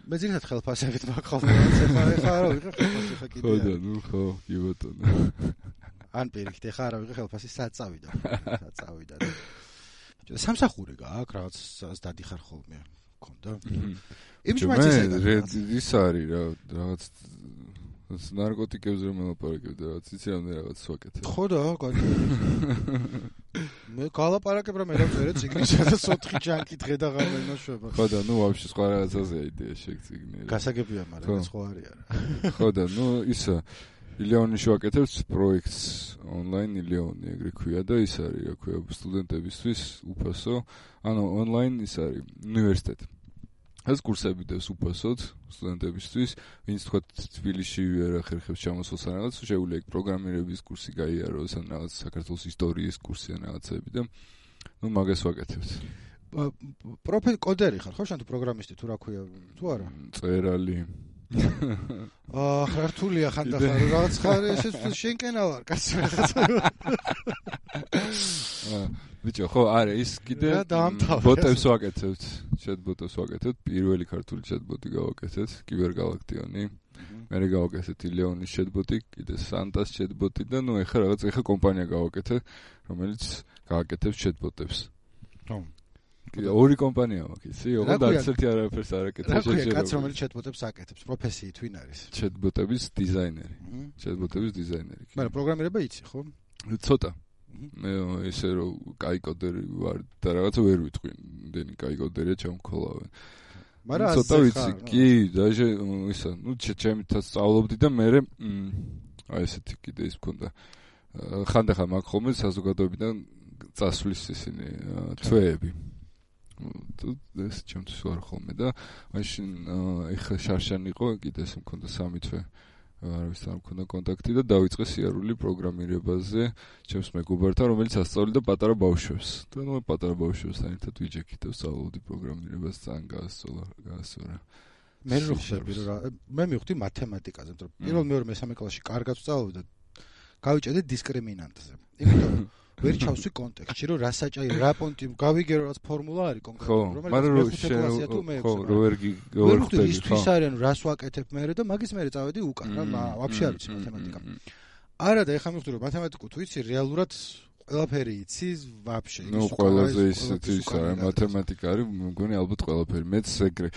მე ძირითადად ხელფასებით მაგხალხო ეხლა ეხლა არა ვიღე ხელფასი ხა კიდე.
ხო და ნუ ხო, კი ბატონო.
ან პირიქით ეხლა არა ვიღე ხელფასი საწავიდა. საწავიდა. სამსახური გააქვს რაღაც დადიხარ ხოლმე. გქონდა? იმის მაინც
ეს ის არის რა რაღაც ნარკოტიკებზე რომ ელაპარაკებდა რაღაც იცი რამდენი რაღაც ვაკეთებ.
ხო და კარგი. მე გალაპარაკებ რომ ელაპარაკე ციგნისა და ოთხი ჯანკი დღე და ღამე ნაშვება.
ხო და ნუ ვაფშე სხვა რაღაცაზე იდეა შეგციგნე.
გასაგებია, მაგრამ ეს ხო არის არა.
ხო და ნუ ისა ილეონიში ვაკეთებს პროექტს ონლაინ ილეონი ეგრე ქვია და ის არის რა ქვია სტუდენტებისთვის უფასო ანუ ონლაინ ის არის უნივერსიტეტი ეს კურსები დევს უფასოდ სტუდენტებისთვის ვინც თქვა თბილისში ვერ ახერხებს ჩამოსულს ან რაღაც შეუძლია ეგ პროგრამირების კურსი გაიაროს ან რაღაც საქართველოს ისტორიის კურსი ან რაღაცები და ნუ მაგას ვაკეთებთ
პროფილ კოდერი ხარ ხო შენ თუ პროგრამისტი თუ რა ქვია თუ არა
წერალი
აა რთულია ხანდახან რაღაც ხარ ესე შენკენა ვარ კაცო რაღაცა
აა ბიჭო ხო არა ის კიდე ბოტებს ვაკეთებთ chat ბოტებს ვაკეთებთ პირველი ქართული chat ბოტი გავაკეთეთ კიბერგალაქტიონი მერე გავაკეთეთ ილეონის chat ბოტი კიდე სანტას chat ბოტი და ნუ ეხლა რაღაც ეხლა კომპანია გავაკეთე რომელიც გააკეთებს chat ბოტებს
ხო
ორი კომპანია მაქვს, იცი? ოღონდ არც ერთი არაფერს არ აკეთებს
შეჭერა. რა ქვია, კაც რომელიც chat-ბოტებს აკეთებს, პროფესიით ვინ არის?
chat-ბოტების დიზაინერი. chat-ბოტების დიზაინერი.
მაგრამ პროგრამირება იცი, ხო?
ცოტა. მე ისე რომ კაი კოდერი ვარ და რაღაცა ვერ ვიტყვი, იმდენი კაი კოდერია ჩამქოლავენ.
მაგრამ
ცოტა ვიცი, კი, დაჟე ისა, ნუ ჩემითაც სწავლობდი და მე აი ესეთი კიდე ის მქონდა. ხანდახან მაგ ხოლმე საზოგადოებიდან წასვლის ისინი თვეები. თუ ეს ჩემთვის ვარ ხოლმე და მაშინ ეხა შარშან იყო კიდე ეს მქონდა სამი თვე არავის არ მქონდა კონტაქტი და დავიწყე სიარული პროგრამირებაზე ჩემს მეგობართან რომელიც ასწავლიდა პატარა ბავშვებს და ნუ პატარა ბავშვებთან ერთად ვიჯექით და ვსწავლობდი პროგრამირებას ძალიან გაასწორა გაასწორა
მე რო ხსები რა მე მივხვდი მათემატიკაზე იმიტომ რომ პირველ მეორე მესამე კლასში კარგად ვსწავლობდი და გავიჭედე დისკრიმინანტზე იმიტომ ვერ ჩავსვი კონტექსტში რომ რა საჭირო რა პონტი გავიგე რაღაც ფორმულა არის კონკრეტულად
რომელიც მეხუთე კლასია თუ მე ხო რო ვერ
ვერ ხვდები ისთვის არის ანუ რას ვაკეთებ მე და მაგის მე წავედი უკან რა ვაფშე არ ვიცი მათემატიკა არა და ეხლა მივხვდი რომ მათემატიკა თუ იცი რეალურად ყველაფერი იცი ვაფშე
ნუ ყველაზე ისეთი ის არის მათემატიკა არის მგონი ალბათ ყველაფერი მეც ეგრე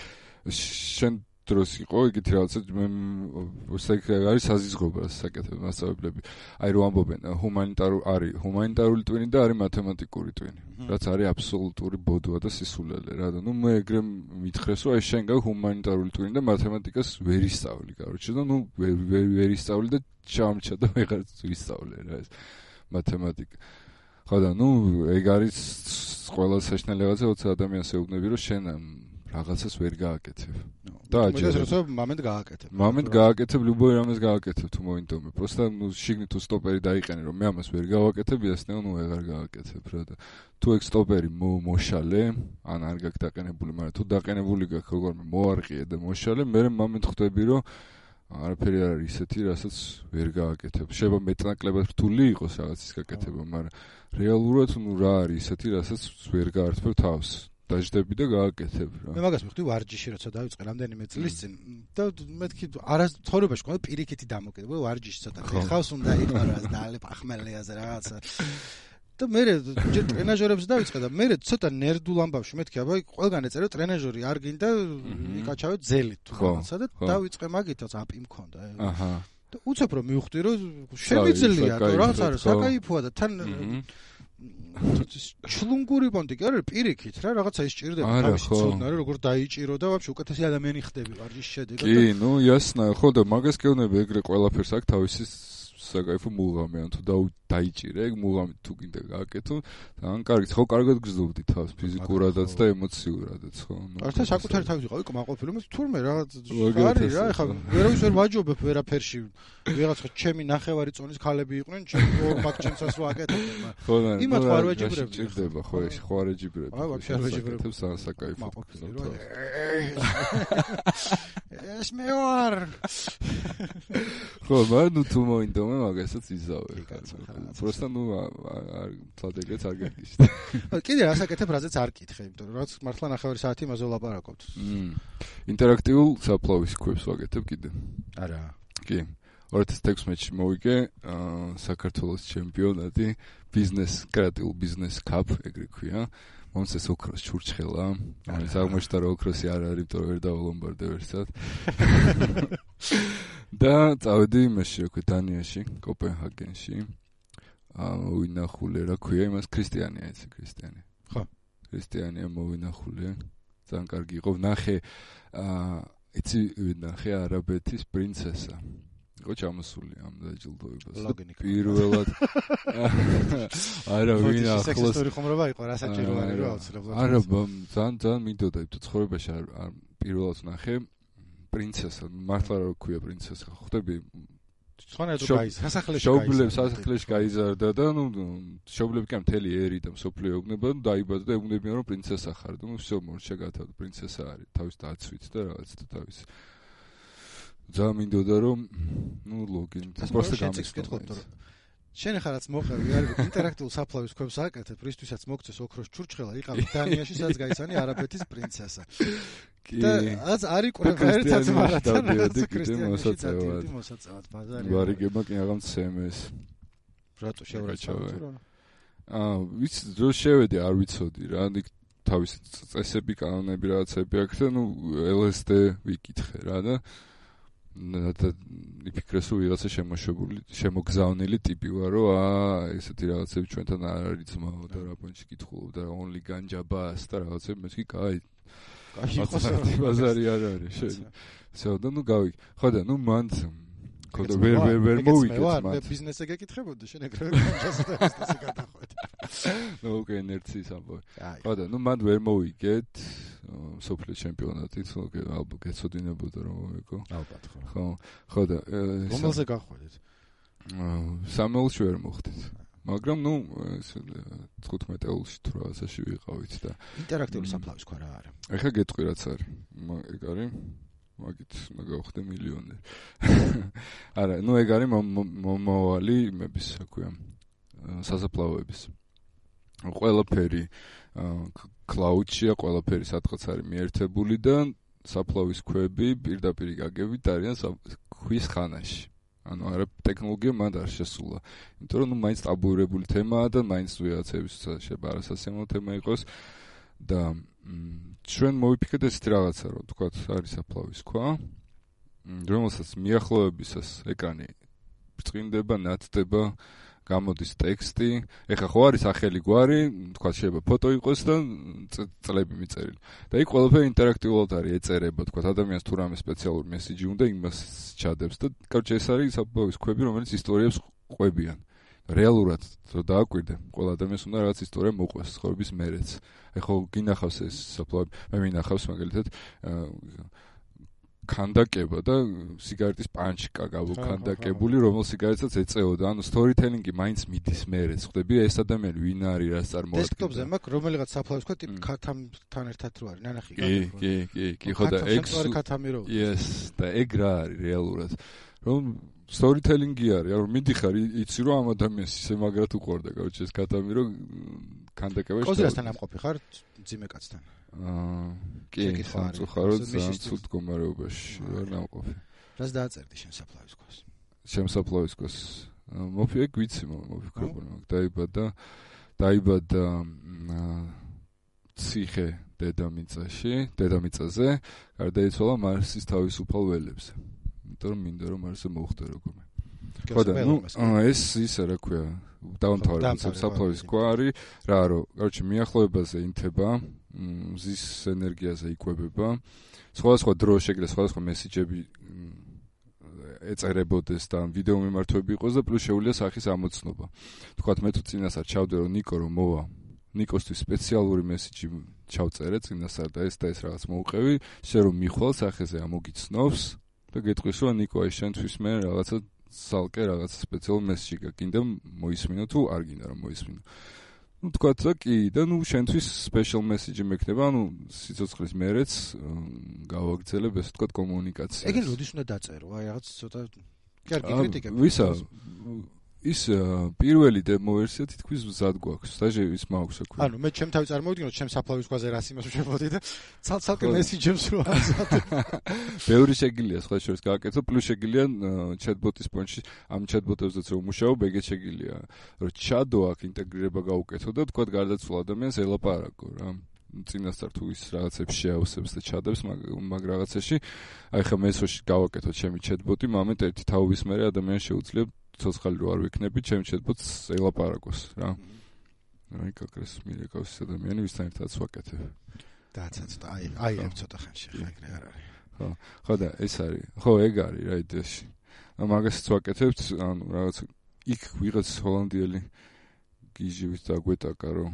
შენ დროს იყო იგივე რაღაცა მე არის საზიზღობა საკეთებ მასწავლებლები აი რო ამბობენ ჰუმანიტარული არის ჰუმანიტარული ტვინი და არის მათემატიკური ტვინი რაც არის აბსოლუტური ბოდვა და სისულელე რა და ნუ მე ეგრე მითხრეს რომ აი შენ გაქვს ჰუმანიტარული ტვინი და მათემატიკას ვერ ისწავლი კაროჩე და ნუ ვერ ვერ ისწავლი და ჩამჩა და ვეღარც ვისწავლე რა ეს მათემატიკა ხო და ნუ ეგ არის ყველა საშნელი რაღაცა როცა ადამიანს ეუბნები რომ შენ რაღაცას ვერ გააკეთებ.
და აჯერებს მომენტ გააკეთებ.
მომენტ გააკეთებ, любой რამეს გააკეთებ თუ მოინდომე. просто ნუ შიგნით თუ სტოპერი დაიყენე რომ მე ამას ვერ გავაკეთებ, იასნეო ნუ ვეღარ გააკეთებ რა და თუ ეგ სტოპერი მოშალე, ან არ გაქვს დაყენებული, მაგრამ თუ დაყენებული გაქვს როგორმე მოარყიე და მოშალე, მე მომენტ ხვდები რომ არაფერი არ არის ისეთი, რასაც ვერ გააკეთებ. შეიძლება მეტნაკლებად რთული იყოს რაღაცის გაკეთება, მაგრამ რეალურად ნუ რა არის ისეთი, რასაც ვერ გაართმევ თავს. დაждები და გააკეთებ რა.
მე მაგას მივხვდი ვარჯიში როცა დავიწყე რამდენიმე წლის წინ და მეთქი არა ცხოვრებაში ყო პირიქითი დამოკიდებულება ვარჯიში ცოტა ხავს უნდა იყარას და ალე პახმელიაზე რაღაცა და მე ჯერ ტრენაჟერებს დავიწყე და მე ცოტა ნერდულ ამბავში მეთქი აბა ყველგან ეწერო ტრენაჟერი არ გინდა იკაჩავე ძელით თუ რაღაცა და დავიწყე მაგითაც აპი მქონდა აჰა და უცებ რომ მივხვდი რომ შემიძლია და რაღაც არის საკაიფოა და თან ჩლუნგური პონტი კი არა პირიქით რა რაღაცა ისჭირდება თავისი ცოდნა რა როგორ დაიჭირო და ვაფშე უკეთესი ადამიანი ხდები ვარჯიშის შედეგად
კი ნუ იასნა ხო და მაგას გეუბნები ეგრე ყველაფერს აქვს თავისი საკაიფო მუღამი ან თუ დაიჭირე ეგ მუღამი თუ გინდა გააკეთო ან კარგით ხო კარგად გრძნობდი თავს ფიზიკურადაც და ემოციურადაც ხო
ნუ ართა საკუთარი თავი ვიყავი კმაყოფილი მაგრამ თურმე რაღაც არის რა ეხლა ვერავის ვერ ვაჯობებ ვერაფერში ვიღაცა ჩემი ნახევარი წონის ქალები იყვნენ ჩემი ორ ბაქჩენცას ვაკეთებ
ხო და
იმათ ვარ ვეჯიბრები
ჭირდება ხო ეს ხო არ ეჯიბრები
აი ვაფშე არ ვეჯიბრები
საკაიფო
ეს მე ვარ
ხო მაგრამ თუ მოინდო ხოლმე მაგასაც იზავე. просто ну თლადეგეც არ გეკიშთ.
კიდე რასაკეთებ, რაზეც არ კითხე, იმიტომ რომ რაც მართლა ნახევარი საათი იმაზე ვლაპარაკობთ.
ინტერაქტიულ საფლავის ქვებს ვაკეთებ კიდე.
არა.
კი. ორი ათას თექვსმეტში მოვიგე საქართველოს ჩემპიონატი ბიზნეს კრეატიულ ბიზნეს კაპ ეგრე ქვია. მომწეს ოქროს ჩურჩხელა. ამის აღმოჩნდა რომ ოქროსი არ არის, იმიტომ რომ ვერ დავალომბარდე ვერსად. და წავედი იმაში, რა ქვია, დანიაში, კოპენჰაგენში. აა ვინახულე, რა ქვია, იმას ქრისტიანია, იცი, ქრისტიანი.
ხო.
ქრისტიანია მოვინახულე. ძალიან კარგი იყო. ვნახე აა იცი, ვნახე არაბეთის პრინცესა. იყო ჩამოსული ამ დაჯილდოებას. პირველად არა ვინ ახლოს
სექსისტური ხომრობა იყო, რა საჭიროა რა აუცილებლად.
არა, ძალიან ძალიან მინდოდა იმ ცხოვრებაში არ პირველად ვნახე პრინცესა, მართლა რა ქვია პრინცესა, ხვდები?
სხვანაირად გაიზარდა, სასახლეში
შობლებს სასახლეში გაიზარდა და ნუ შობლები კი მთელი ერი და მსოფლიო ეუბნება, ნუ დაიბადა და ეუბნებიან რომ პრინცესა ხარ და ნუ всё მორჩა გათავდა, პრინცესა არის, თავის დაცვით და რაღაც და თავის ძალიან მინდოდა რომ ნუ ლოგინ просто გამიცხადო.
შენ ხარ რაც მოყევი არის ინტერაქტიულ საფლავის ქვებს აკეთებ, რისთვისაც მოგწეს ოქროს ჩურჩხელა, იყავი დანიაში, სადაც გაიცანი არაბეთის პრინცესა. და აც არის კურებერცაც მარათან
მოსაწევად.
მოსაწევად ბაზარი.
ვარიგება კი აღარ მცემეს.
რატო შევრაჩავე?
აა ვიცი რო შევედი არ ვიცოდი რა, იქ თავის წესები, კანონები რაღაცები აქვს და ნუ ელ ეს დე ვიკითხე რა და და იფიქრეს რომ ვიღაცა შემოშებული, შემოგზავნილი ტიპი ვარ, რომ აა ესეთი რაღაცები ჩვენთან არ არის ძმაო და რა პონჩი კითხულობ და only განჯაბას და რაღაცები მე კი კაი კაი ბაზარი არ არის შენ. всё და ნუ გავიგე. ხო და ნუ მან ხო და ვერ ვერ ვერ მოვიგეთ მათ.
მე ბიზნესზე გეკითხებოდი შენ ეგრევე განჯასტასე გადახვედი.
ნუ უკვე ინერციის ამბავი. ხო და ნუ მან ვერ მოვიგეთ სოფლის ჩემპიონატით, უკვე ალბათ გეცოდინებოდა რომ მოვიგო.
ალბათ ხო.
ხო, ხო და
რომელზე გახვედით?
სამეულში ვერ მოხდით. მაგრამ ნუ თხუთმეტ ეულში თუ რაღაცაში ვიყავით და
ინტერაქტიული საფლავის ქვა რა არის?
ეხა გეტყვი რაც არის. ეგ არის მაგით მაგავხდე მილიონერი. არა, ნუ ეგ არის მომავალი იმების, რა ქვია, სასაფლაოების. ყველაფერი კლაუდშია, ყველაფერი სადღაც არის მიერთებული და საფლავის ქვები პირდაპირ გაგებით არიან ქვის ხანაში. ანუ არა ტექნოლოგია მანდ არ შესულა. იმიტომ რომ ნუ მაინც ტაბუირებული თემაა და მაინც ვიღაცების შეფარასასიამოვნო თემა იყოს და ჩვენ მოვიფიქრეთ ესეთი რაღაცა, რომ თქვათ არის საფლავის ქვა, რომელსაც მიახლოებისას ეკრანი ბრწყინდება, ნათდება, გამოდის ტექსტი. ეხა ხო არის ახალი გვარი, თქვათ შეიძლება ფოტო იყოს და წლები მიწერილი. და იქ ყველაფერი ინტერაქტიულად არის, ეწერება, თქვათ ადამიანს თუ რამე სპეციალური მესიჯი უნდა იმას ჩადებს და კარჩე ეს არის საფლავის ქვები, რომელიც ისტორიებს ყვებიან. რეალურად რო დააკვირდე, ყველა ადამიანს უნდა რაღაც ისტორია მოყვეს ცხოვრების მერეც. ეხა გინახავს ეს საფლავი, მე მინახავს მაგალითად ქანდაკება და სიგარეტის პანჩკა გავუქანდაკებული, რომელ სიგარეტსაც ეწეოდა. ანუ სტორითელინგი მაინც მიდის მერეც. ხვდები ეს ადამიანი ვინ არის, რას წარმოადგენს.
დესკტოპზე მაქვს რომელიღაც საფლავის ქვა ტიპ ქათამთან ერთად რო არის, ნანახი
კი, კი, კი, კი, ხო და ეგ
ქათამი რო.
yes, და ეგ რა არის რეალურად. რომ სტორითელინგი არის, რომ მიდიხარ იცი რომ ამ ადამიანს ისე მაგრად უყურდა, კაუჩი ეს ქათამი რომ ქანდაკება შეიძლება.
კოზიასთან ამყოფი ხარ ძიმე კაცთან?
აა კი, სამწუხაროდ ძალიან ცუდ მდგომარეობაში ვარ ნამყოფი.
რას დააწერდი შენ საფლავის ქვას?
შენ საფლავის ქვას მოფიქრე გვიცი მოფიქრებული მაგ დაიბადა დაიბადა ციხე დედამიწაში, დედამიწაზე, გარდაიცვალა მარსის თავისუფალ ველებზე. იმიტომ რომ მინდა რომ მარსზე მოხვდე როგორმე. ხო და ნუ ეს ისე რა ქვია, დაუნთავრებ საფლავის ქვა არის, რა რომ, короче, მიახლოებაზე ინთება, მზის ენერგიაზე იკვებება. სხვადასხვა დრო შეგრე სხვადასხვა მესიჯები ეწერებოდეს და ვიდეო მიმართვები იყოს და პლუს შეუძლია სახის ამოცნობა. თქვათ მე თუ წინასწარ ჩავდე რომ ნიკო რომ მოვა, ნიკოსთვის სპეციალური მესიჯი ჩავწერე წინასწარ და ეს და ეს რაღაც მოუყევი, შენ რომ მიხვალ სახეზე ამოგიცნობს და გეტყვის რომ ნიკო აი შენთვის მე რაღაცა სალკე რაღაც სპეციალურ მესიჯი გაკინდა მოისმინო თუ არ გინდა რომ მოისმინო. ნუ თქვათ რა კი და ნუ შენთვის სპეციალ მესიჯი მექნება, ანუ სიცოცხლის მერეც გავაგრძელებ ესე თქვათ კომუნიკაციას.
ეგენ როდის უნდა დაწერო? აი რაღაც ცოტა კარგი კრიტიკები.
ვისა ის პირველი დემო ვერსია თითქმის მზად გვაქვს. დაჟე ის მაქვს აქვე.
ანუ მე ჩემ თავი წარმოვიდგინოთ, ჩემ საფლავის ქვაზე რას იმას ვშევოდი და ცალ-ცალკე მესენჯერს რო ამზადე.
ბევრი შეგიძლია სხვა შორის გააკეთო, პლუს შეგიძლია chatbot-ის პონჩი ამ chatbot-ებზეც რომ მუშაობ, ეგეც შეგიძლია. რომ chat-ო აქ ინტეგრირება გავუკეთო და თქვა გარდაცვალ ადამიანს ელაპარაკო რა. წინასწარ თუ ის რაღაცებს შეავსებს და ჩადებს მაგ რაღაცაში, აი ხა მესოში გავაკეთოთ ჩემი chatbot-ი, მომენტ ერთი თაობის მერე ადამიანს შეუძლია ცოცხალი რო არ ვიქნები, ჩემ chatbot-ს ელაპარაკოს რა. აი კაკრეს მირეკავს ადამიანი ვისთან ერთადაც ვაკეთებ.
დააცა ცოტა, აი, აი ერთ ცოტა ხანში ხა ეგრე არ არის.
ხო, ხო და ეს არის. ხო, ეგ არის რა იდეაში. მაგასაც ვაკეთებთ, ანუ რაღაც იქ ვიღაც ჰოლანდიელი გიჟივით დაგვეტაკა რომ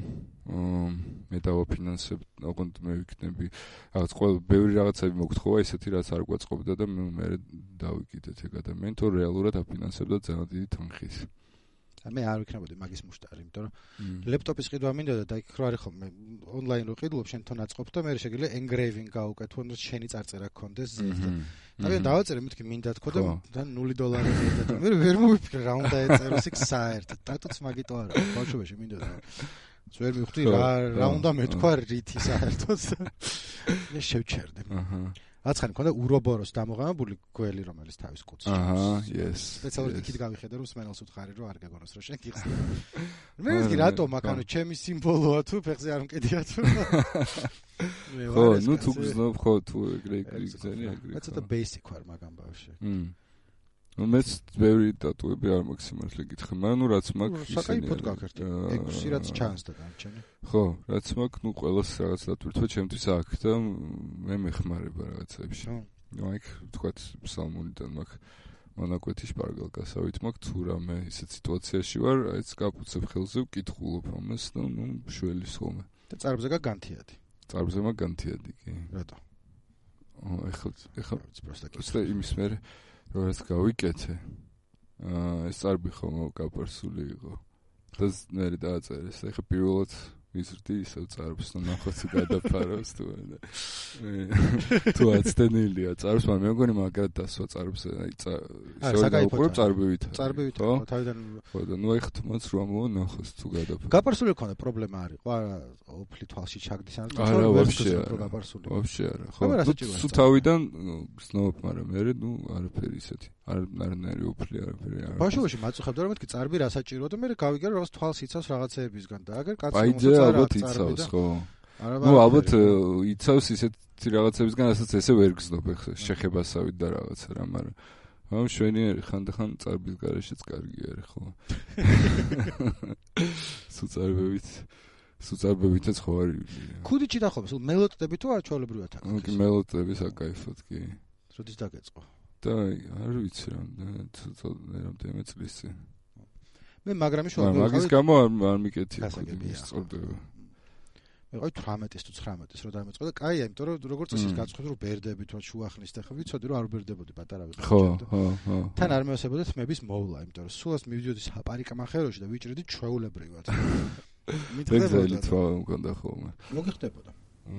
მე დავაფინანსებ, ოღონდ მე ვიქნები რაღაც ყველა ბევრი რაღაცები მოგთხოვა ისეთი რაც არ გვაწყობდა და მე დავიკიდეთ ეგ ადამიანი თუ რეალურად აფინანსებდა ძალიან დიდი თანხით.
მე არ ვიქნებოდი მაგის მუშტარი, იმიტომ რომ ლეპტოპის ყიდვა მინდოდა და იქ რო არის ხოლმე ონლაინ რო ყიდულობ შენ თვითონ აწყობ და მე შეგიძლია engraving გავუკეთო, რომ შენი წარწერა გქონდეს ზედზე. და მე დავაწერე მეთქი მინდა თქო და ნული დოლარი ზედა. მე ვერ მოვიფიქრე რა უნდა ეწეროს იქ საერთოდ. დატოც მაგიტო არა, ბავშვობაში მინდოდა. ვერ მივხვდი რა რა უნდა მეთქვა რითი საერთოდ. მე შევჩერდე. აჰა. აცხანი მქონდა ურობოროს დამოღამებული გველი, რომელიც თავის კუცში.
აჰა, yes.
სპეციალურად იქით გავიხედე, რომ სმენელს უთხარი, რომ არ გეგონოს, რომ შენ გიხსნა. მე ვთქვი, რატომ აქ ანუ ჩემი სიმბოლოა თუ ფეხზე არ მკიდია თუ.
ხო, ნუ თუ გზნობ, ხო, თუ ეგრე ეგრე გზენი ეგრე.
მე ცოტა basic ვარ მაგ ამბავში.
მმ. ნუ მეც ბევრი დატუები არ მაქვს სიმართლე გითხრა, მაგრამ ნუ რაც მაქვს
ისე. საკაიფოდ გაქერტი. ექვსი რაც ჩანს და განჩენი.
ხო, რაც მაქვს, ნუ ყველას რაღაც დატვირთვა ჩემთვის აქ და მე მეხმარება რაღაცებში. ნუ აი თქვათ ფსალმუნიდან მაქვს მონაკვეთი შპარგალკასავით მაქვს, თუ რამე ისეთ სიტუაციაში ვარ, აიც გაფუცებ ხელზე, ვკითხულობ ამას და ნუ შველის ხოლმე.
და წარბზე გაგანთიადი.
წარბზე მაგანთიადი კი.
რატო?
ო, ეხლა ეხლა
პროსტა
კი. იმის მერე როაც გავიკეთე. აა ეს წარბი ხომ გაპარსული იყო. და მე დააწერეს. ეხლა პირველად ვიზრდი ისევ წარბს და ნახოთ თუ გადაფარავს თუ არა. თუ აცდენილია წარბს, მაგრამ მე მგონი მაგრად დასვა წარბს. აი შევდაუყურებ წარბივით.
წარბივით ხო თავიდან
ხო და ნუ ეხლა თუმაც რა მონახოს თუ გადაფარავს.
გაპარსული ქონდა პრობლემა არის. ხო არა ოფლი თვალში ჩაგდის ან
არა ვაფშე არა.
გაპარსული.
ვაფშე არა. ხო თუ თავიდან გზნობ, მაგრამ მე ნუ არაფერი ისეთი. არ არნაირი ოფლი არაფერი არა.
ბავშვობაში მაწუხებდა რომ მეთქი წარბი რა საჭიროა და მე გავიგე რომ რაღაც თვალს იცავს რაღაცეებისგან და აგერ კაცი
მოწონა ალბათ იცავს ხო. ნუ ალბათ იცავს ისეთი რაღაცებისგან, რასაც ესე ვერ გზნობ ეხლა შეხებასავით და რაღაცა რა, მაგრამ ამ შვენიერი ხანდახან წარბის გარეშეც კარგი არის ხო. სუწარბებით სუწარბებითაც ხო არის.
ქუდიჩი დახობს, მელოდები თუ არ ჩვეულებრივად აქვს.
ნუ კი მელოდები საკაიფოდ კი.
როდის დაგეწყო?
და არ ვიცი რამდენიმე წლის წინ.
მე მაგრამი შევავდი.
მაგის გამო არ მიკეთი ის წორდება.
მე ყავი თვრამეტის თუ ცხრამეტის რო დამეწყო და კაია, იმიტომ რომ როგორც წესი გაწყობდი რომ ბერდები თუ შუახნის და ხო ვიცოდი რომ არ ბერდებოდი პატარა ვიყავი.
ხო, ხო, ხო.
თან არ მეოსებოდა თმების მოვლა, იმიტომ რომ სულას მივიდოდი საპარიკამახეროში და ვიჭრედი ჩვეულებრივად.
მითხდებოდა თვა მქონდა ხოლმე.
მოგიხდებოდა.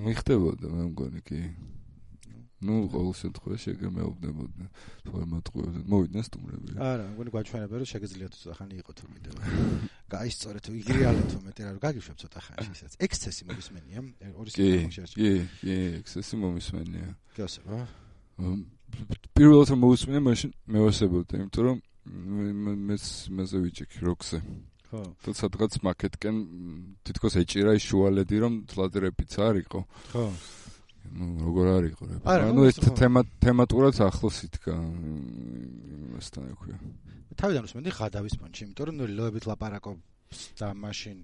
მიხდებოდა მე მგონი კი. ნუ ყოველ შემთხვევაში ეგრე მეუბნებოდნენ ფორმატყუებდნენ მოვიდნენ სტუმრები
არა მგონი გვაჩვენებენ რომ შეგიძლიათ ცოტა ხანი იყო თუ მიდევა გაისწორეთ თუ იგრიალეთ თუ მეტი რა რომ გაგიშვებ ცოტა ხანში ისაც ექსცესი მომისმენია ორი
სიტუაციაში კი კი ექსცესი მომისმენია
გასება
პირველად რომ მოვისმენია მაშინ მევასებოდი იმიტომ რომ მეც მეზე ვიჭიქი როქზე ხო და სადღაც მაკეტკენ თითქოს ეჭირა ის შუალედი რომ თლად რეპიც არ იყო ხო ну როგორ არის ყურე. ანუ ეს თემა თემატურად ახლოს იდგა იმასთან ექვია.
თავიდან უსმენდი ღადავის პონჩი, იმიტომ რომ ლოებით ლაპარაკობს და მაშინ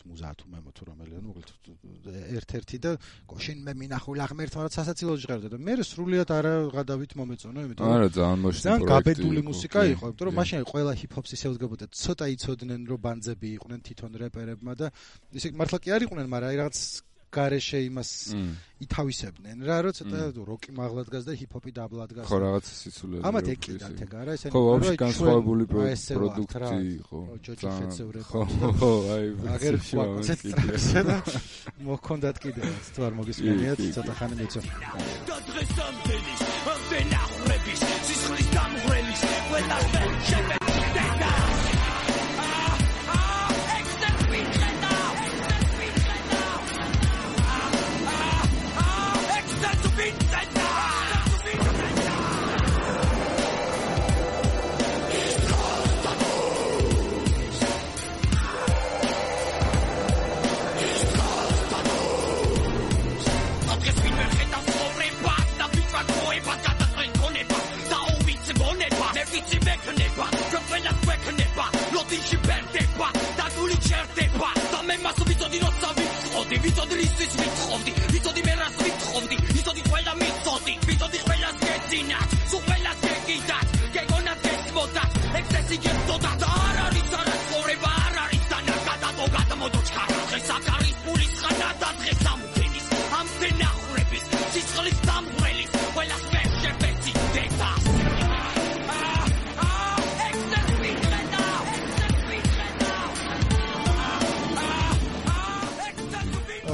მუზა თუ მემო თუ რომელია, ну მოკლედ ერთ-ერთი და გოშინ მე მინახულა ღმერთმა რაც სასაცილო ჟღერდა და მე სრულიად არა ღადავით მომეწონა, იმიტომ რომ
არა ძალიან მოშინო პროექტი.
ძალიან გაბედული მუსიკა იყო, იმიტომ რომ მაშინ ყველა ჰიპ-ჰოპს ისე უძგებოდა, ცოტა იცოდნენ რომ ბანძები იყვნენ თვითონ რეპერებმა და ისე მართლა კი არ იყვნენ, მაგრამ აი რაღაც გარეშე იმას ითავისებდნენ რა რომ ცოტა როკი მაღლა დგას და ჰიპ-ჰოპი დაბლა დგას
ხო რაღაც სიცოცხლე
ამათ ეკიდათ ეგ არა ესენი
ხო ვაფშე განსხვავებული პროდუქტი იყო ხო ხო აი
აგერ კონცენტრაცია და მოქონდათ კიდე თუ არ მოგისმენიათ ცოტა ხანი მეცო და დღეს ამდენის ამდენ აღრების სისხლის დამღვრელის ყველა შეგე
იგებსოდა და არ არის არასწორება არ არის დანაკადადო გადმოდო ჩქარა დღეს აქ არის პულის ხანა და დღეს ამფენის ამფენა ხრების სიცხლის დამღვრელის ყველას ვერ შებეცი დედა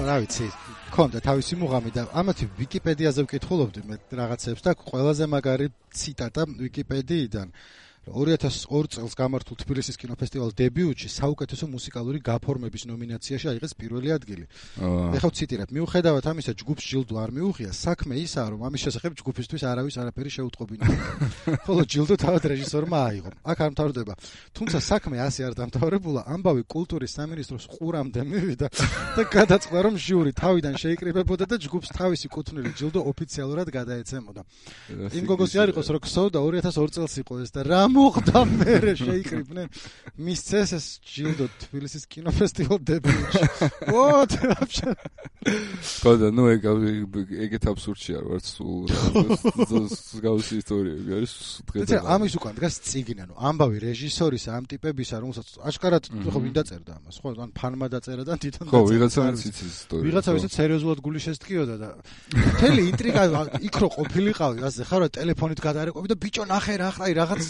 რა ვიცი, ქონდა თავისი მუღამი და ამათი ვიკიპედიაზე ვკითხულობდი მე რაღაცებს და ყველაზე მაგარი ციტატა ვიკიპედიიდან ორი ათას ორი წელს გამართულ თბილისის კინოფესტივალ დებიუტში საუკეთესო მუსიკალური გაფორმების ნომინაციაში აიღეს პირველი ადგილი. ეხლა ვციტირებ, მიუხედავად ამისა ჯგუფს ჯილდო არ მიუღია, საქმე ისაა, რომ ამის შესახებ ჯგუფისთვის არავის არაფერი შეუტყობინა. ხოლო ჯილდო თავად რეჟისორმა აიღო. აქ არ მთავრდება. თუმცა საქმე ასე არ დამთავრებულა, ამბავი კულტურის სამინისტროს ყურამდე მივიდა და გადაწყდა, რომ ჟიური თავიდან შეიკრიბებოდა და ჯგუფს თავისი კუთვნილი ჯილდო ოფიციალურად გადაეცემოდა. იმ გოგოსი არ იყოს, რომ ქსოვდა ორი ათას ორი წელს იყო ეს და რა მოხდა მერე შეიკრიბნენ მისცეს ეს ჯილდო თბილისის კინოფესტივალ დებიუტში. What?
კოდა ნუ ეგ ეგეთ აბსურდში არ ვარ სულ გავსი ისტორიები არის დღეს.
ამის უკან დგას წიგნი, ანუ ამბავი რეჟისორისა ამ ტიპებისა, რომელსაც აშკარად ხო ვინ დაწერდა ამას, ხო, ან ფანმა დაწერა და თვითონ
ხო, ვიღაცა იცის ისტორია.
ვიღაცა ვისაც სერიოზულად გული შესტკიოდა და მთელი ინტრიგა იქ რო ყოფილიყავი, ასე ხარ რა ტელეფონით გადაარეკვები და ბიჭო ნახე რა ხარ რაღაც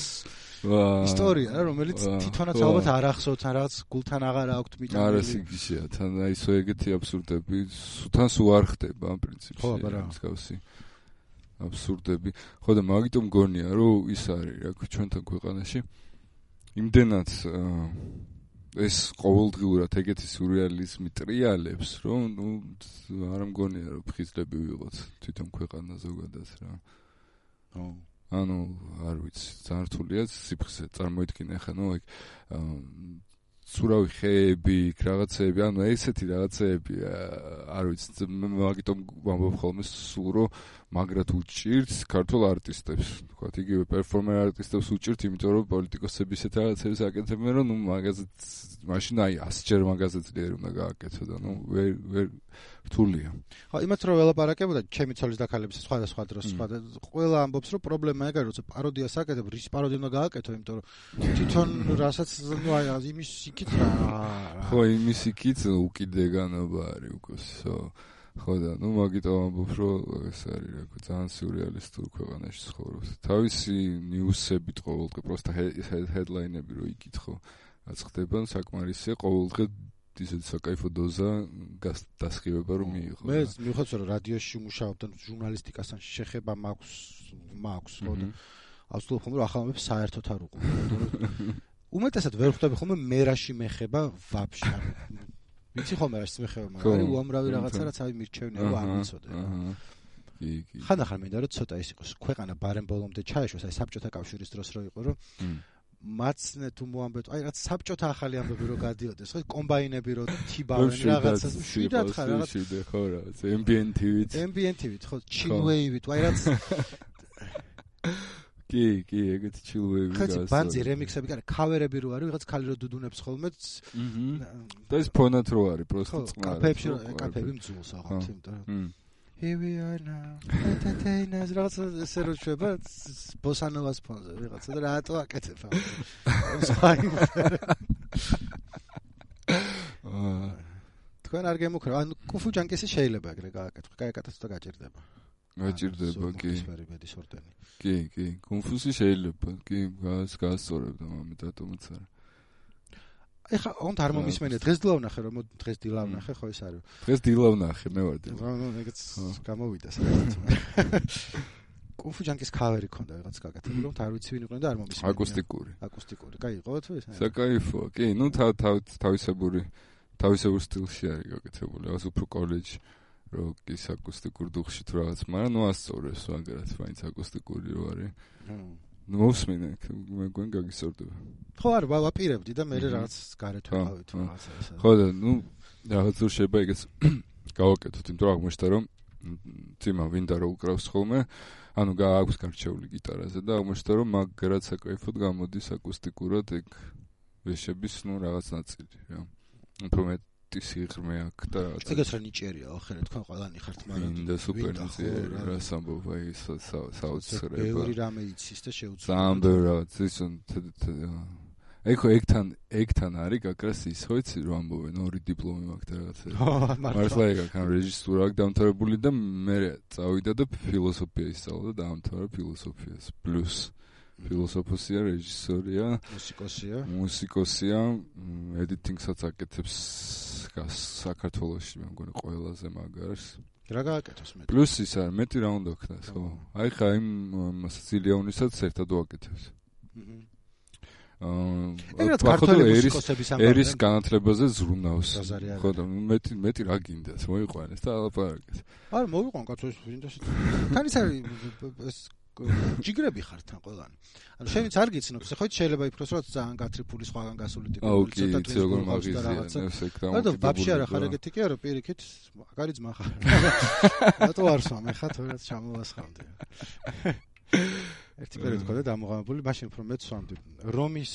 ისტორია რა რომელიც თვითონაც ალბათ არ ახსოვთ ან რაღაც გულთან აღარ აქვთ მიტანილი.
არა სიგიშია, თან აი სო ეგეთი აბსურდები სულთან სულ არ ხდება ამ პრინციპში.
ხო, აბა რა.
მსგავსი აბსურდები. ხო და მაგიტომ მგონია რომ ის არის რა ჩვენთან ქვეყანაში იმდენად ეს ყოველდღიურად ეგეთი სურეალიზმი ტრიალებს რომ ნუ არ მგონია რომ ფხიზლები ვიყოთ თვითონ ქვეყანა ზოგადად რა.
ხო
ანუ არ ვიცი, ძალიან რთულია სიფხზე წარმოიდგინე ხა ნუ ეგ სურავი ხეები, რაღაცეები, ანუ ესეთი რაღაცეები არ ვიცი, მაგიტომ ვამბობ ხოლმე სულ რომ მაგრად უჭირთ ქართულ არტისტებს, თქვათ იგივე პერფორმერ არტისტებს უჭირთ, იმიტომ რომ პოლიტიკოსები ისეთ რაღაცებს აკეთებენ, რომ ნუ მაგაზე მაშინ აი ასჯერ მაგაზე ძლიერ უნდა გააკეთო და ნუ ვერ ვერ რთულია.
ხო, იმათ რომ ველაპარაკებოდა ჩემი ცოლის დაქალების სხვადასხვა დროს სხვა ყველა ამბობს რომ პრობლემა ეგ არის, როცა პაროდიას აკეთებ, რის პაროდია უნდა გააკეთო, იმიტომ რომ თვითონ რასაც ნუ აი იმის იქით რა.
ხო, იმის იქით უკიდეგანობა არის უკოსო. ხო და ნუ მაგიტომ ამბობ რომ ეს არის რა ძალიან სიურეალისტური ქვეყანაში ცხოვრობს. თავისი ნიუსებით ყოველდღე პროსტა ჰედლაინები რო იკითხო, რაც ხდება საკმარისია ყოველდღე ისეთი საკაიფო დოზა დასხივება რომ მიიღო.
მე მივხვდეთ რომ რადიოში მუშაობ და ჟურნალისტიკასთან შეხება მაქვს მაქვს ხო და ავსულობ ხომ რომ ახალმებს საერთოდ არ უყურებ. უმეტესად ვერ ხვდები ხოლმე მერაში მეხება ვაფშე. ვიცი ხომ მერაში მეხება, მაგრამ უამრავი რაღაცა რაც აი მირჩევნია რომ არ ვიცოდე.
კი, კი.
ხანდახან მინდა რომ ცოტა ის იყოს ქვეყანა ბარემ ბოლომდე ჩაეშვეს, აი საბჭოთა კავშირის დროს რო იყო რომ მაცნე თუ მოამბეთ, აი რაც საბჭოთა ახალი ამბები რო გადიოდეს, ხო კომბაინები რო თიბავენ რაღაცას, შვიდად ხარ რაღაც.
შვიდად ხო რაღაც, ემბიენტივით.
ემბიენტივით, ხო, ჩილვეივით, აი რაც
კი, კი, ეგეთი ჩილვეივი გასა.
ხაცი ბანძი რემიქსები, კარა, ქავერები რო არის, ვიღაც ქალი რო დუდუნებს ხოლმე.
და ეს ფონად რო არის, პროსტო წყნარი.
კაფეებში რო, კაფეები მძულს აღარ, იმიტომ რომ Here we are now. Entertainers, რაღაც ესე რო შვება ბოსანოვას ფონზე, ვიღაცა და რატო აკეთებ ამ. თქვენ არ გემუქრა, ანუ კუფუ ჯანკისი შეიძლება ეგრე გააკეთო, გააკეთოს და გაჭირდება.
გაჭირდება, კი.
სფერიბედის ორდენი.
კი, კი, კუნფუსი შეიძლება, კი, გას გასწორებდა მამე დატომაც არა.
ეხა უნდა არ მომისმენია დღეს დილავნახე რომ დღეს დილავნახე ხო ეს არის
დღეს დილავნახე მე ვარ და
ნუ ეგეც გამოვიდა საერთოდ კუნფუ ჯანკის ქავერი ქონდა რაღაც გაკეთებული რომ არ ვიცი ვინ იყო და არ მომისმენია
აკუსტიკური
აკუსტიკური კაი იყო თუ ეს
საკაიფოა კი ნუ თავისებური თავისებურ სტილში არის გაკეთებული რაღაც უფრო კოლეჯი რო ის აკუსტიკურ დუხში თუ რაღაც მაგრამ ნუ ასწორებს მაგარად მაინც აკუსტიკური რო არის ნუსმინე მე გვენ გაგისწორდება
ხო არ ვაპირებდი და მე რაღაც გარეთ ვიყავით რაღაცა ესა
ხო და ნუ რაღაც რო შეიძლება ეგეც გავაკეთოთ იმიტომ რომ აღმოჩნდა რომ ძიმა ვინდა რო უკრავს ხოლმე ანუ გააქვს გარჩეული გიტარაზე და აღმოჩნდა რომ მაგრად საკაიფოდ გამოდის აკუსტიკურად ეგ ვეშების ნუ რაღაც ნაწილი რა უფრო მეტი სიღრმე აქვს და რაღაც
ეგეც რა ნიჭიერია ახლა თქვენ ყველანი ხართ მაგრამ
და სუპერ ნიჭიერი რა სამბობ აი საოცრება
ბევრი რამე იცის და შეუძლია
ძალიან ბევრი რაღაც ის აი ხო ეგთან ეგთან არის გაკრას ის ხო იცი რომ ამბობენ ორი დიპლომი მაქვს და რაღაცა. მართლა ეგ აქ რეჟისურა აქვს დამთავრებული და მე წავიდა და ფილოსოფია ისწავლა და დაამთავრა ფილოსოფიას. პლუს ფილოსოფოსია, რეჟისორია,
მუსიკოსია.
მუსიკოსია, ედიტინგსაც აკეთებს საქართველოში მე მგონი ყველაზე მაგარს.
რა გააკეთოს მეტი?
პლუს ის არის მეტი რა უნდა ქნას ხო? აი ხა იმ სიცილიანისაც ერთად ვაკეთებს. აა
ქართული
ერის
მუსიკოსების
ერის განათლებაზე ზრუნავს. ხო და მეტი მეტი რა გინდათ მოიყვანეს და ალაპარაკეთ.
არა მოვიყვან კაცო ის ვინდოში. თან ის არის ეს ჯიგრები ხარ თან ყველანი. ანუ შენიც არ გიცნობ, ხო შეიძლება იფროს რომ ძალიან გათრიფული სხვაგან გასული ტიპი
ცოტა თუ როგორ მაგიზია ეს ეგ და
და ვაფშე არა ხარ ეგეთი კი არა პირიქით მაგარი ძმა ხარ. რატო არ სვამე ხა თორემ ჩამოვასხამდი. ერთი პერიოდი ყავდა დამოღამებული, მაშინ უფრო მეც სვამდი. რომის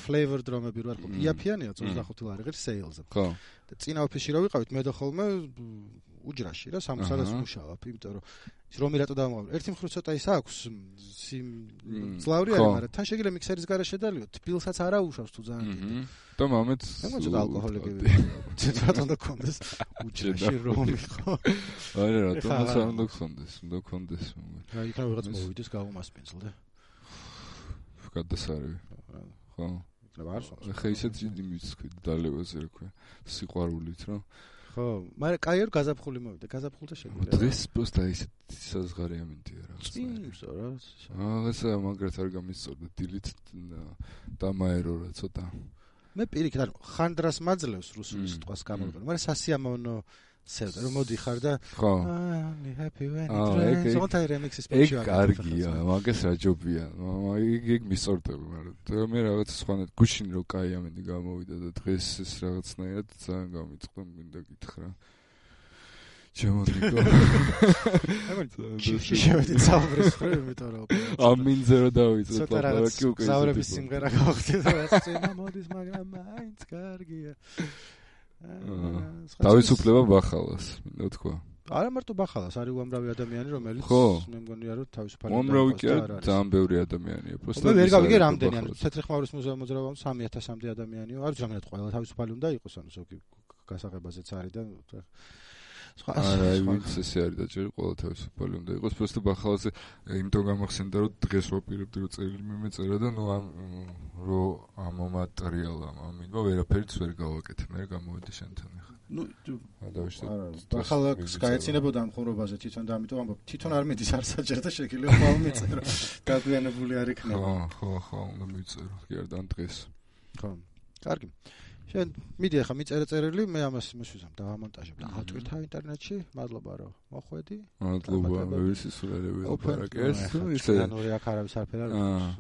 flavored რომები რო არ ყოფილი, იაფიანია ოცდახუთი ლარი ღირს sales-ზე.
ხო.
და წინა ოფისში რო ვიყავით, მე და ხოლმე უჯრაში რა სამსარას მუშაობ, იმიტომ რომ ის რომი რატო დავამოღამდი. ერთი მხრივ ცოტა ის აქვს, ძლავრი არის, მაგრამ თან შეიძლება მიქსერის გარეშე დალიო, თბილსაც არა უშავს თუ ძალიან დიდი.
და მამეთ
მე ცოტა ალკოჰოლიკი ცოტა უნდა კონდეს უჯრაში რომი ხო.
არა რატომ არ უნდა კონდეს, უნდა კონდეს.
რა იქნება რაღაც მოვიდეს გავუმასპინძლდე.
გადასარევი. ხო.
იქნება არ სვამს.
ხა ისეთ იმის თქვი დალევაზე რა ქვია, სიყვარულით რა.
ხო, მაგრამ კაი არ გაზაფხული მოვიდა, გაზაფხულზე შეგვიძლია.
დღეს პოსტა ისეთ საზღარი ამინდია რა.
წინსო რა.
აა ესა მაგრად არ გამისწორდა დილით და მაერორა ცოტა.
მე პირიქით არ ხანდრას მაძლევს რუსულის სიტყვას გამოვიყენო, მაგრამ სასიამოვნო სევდა რომ მოდიხარ და
ხო.
I'm happy when it rains. ზოგადად რემიქსის პოჩი
არის. ეგ კარგია, მაგას რა ჯობია. ეგ ეგ მისწორდები, მაგრამ მე რაღაც სხვანაირად გუშინ რო კაი ამინდი გამოვიდა და დღეს ეს რაღაცნაირად ძალიან გამიწყდა, მინდა გითხრა. ჩემონიკო.
შევედი საუბრის ფრე, იმიტომ რომ
ამინზე რო დავიწყე ლაპარაკი უკვე.
საუბრების სიმღერა გავხდი და რაც წინა მოდის, მაგრამ მაინც კარგია.
თავისუფლება ბახალას, მინდა თქვა.
არა მარტო ბახალას, არის უამრავი ადამიანი, რომელიც მე მგონია რომ თავისუფალი
უამრავი კი არა, ძალიან ბევრი ადამიანია.
პროსტა მე ვერ გავიგე რამდენი, ანუ თეთრი ხმაურის მუზეუმ მოძრაობამ სამი ათასამდე ადამიანია. არ ვიცი რამდენად ყველა თავისუფალი უნდა იყოს, ანუ ზოგი გასაღებაზეც არის და
არა, ვინც ესე არის და ჯერ ყველა თავისუფალი უნდა იყოს. პროსტა ბახალაზე იმიტომ გამახსენდა რომ დღეს ვაპირებდი რომ წერილი მე მეწერა და ნუ ამ რო ამ მატერიალამ ამინდა ვერაფერიც ვერ გავაკეთე. მე გამოვედი შენთან ახლა. ნუ
ბახალას გაეცინებოდა ამ ხმრობაზე თვითონ და ამიტომ ამბობ თვითონ არ მიდის არ საჭიროა შეიძლება ხვალ მიწერო. დაგვიანებული არ იქნება.
ხო, ხო, ხო, უნდა მიწერო. კი არ დან დღეს.
ხო. კარგი. შენ მიდი ახლა მიწერე წერილი, მე ამას მოსვიზამ და ამონტაჟებ და ავტვირთა ინტერნეტში. მადლობა რომ მოხვედი.
მადლობა, მე ვისისულელები ლაპარაკეს.
ისე ნური აქ არავის არაფერ არ არის.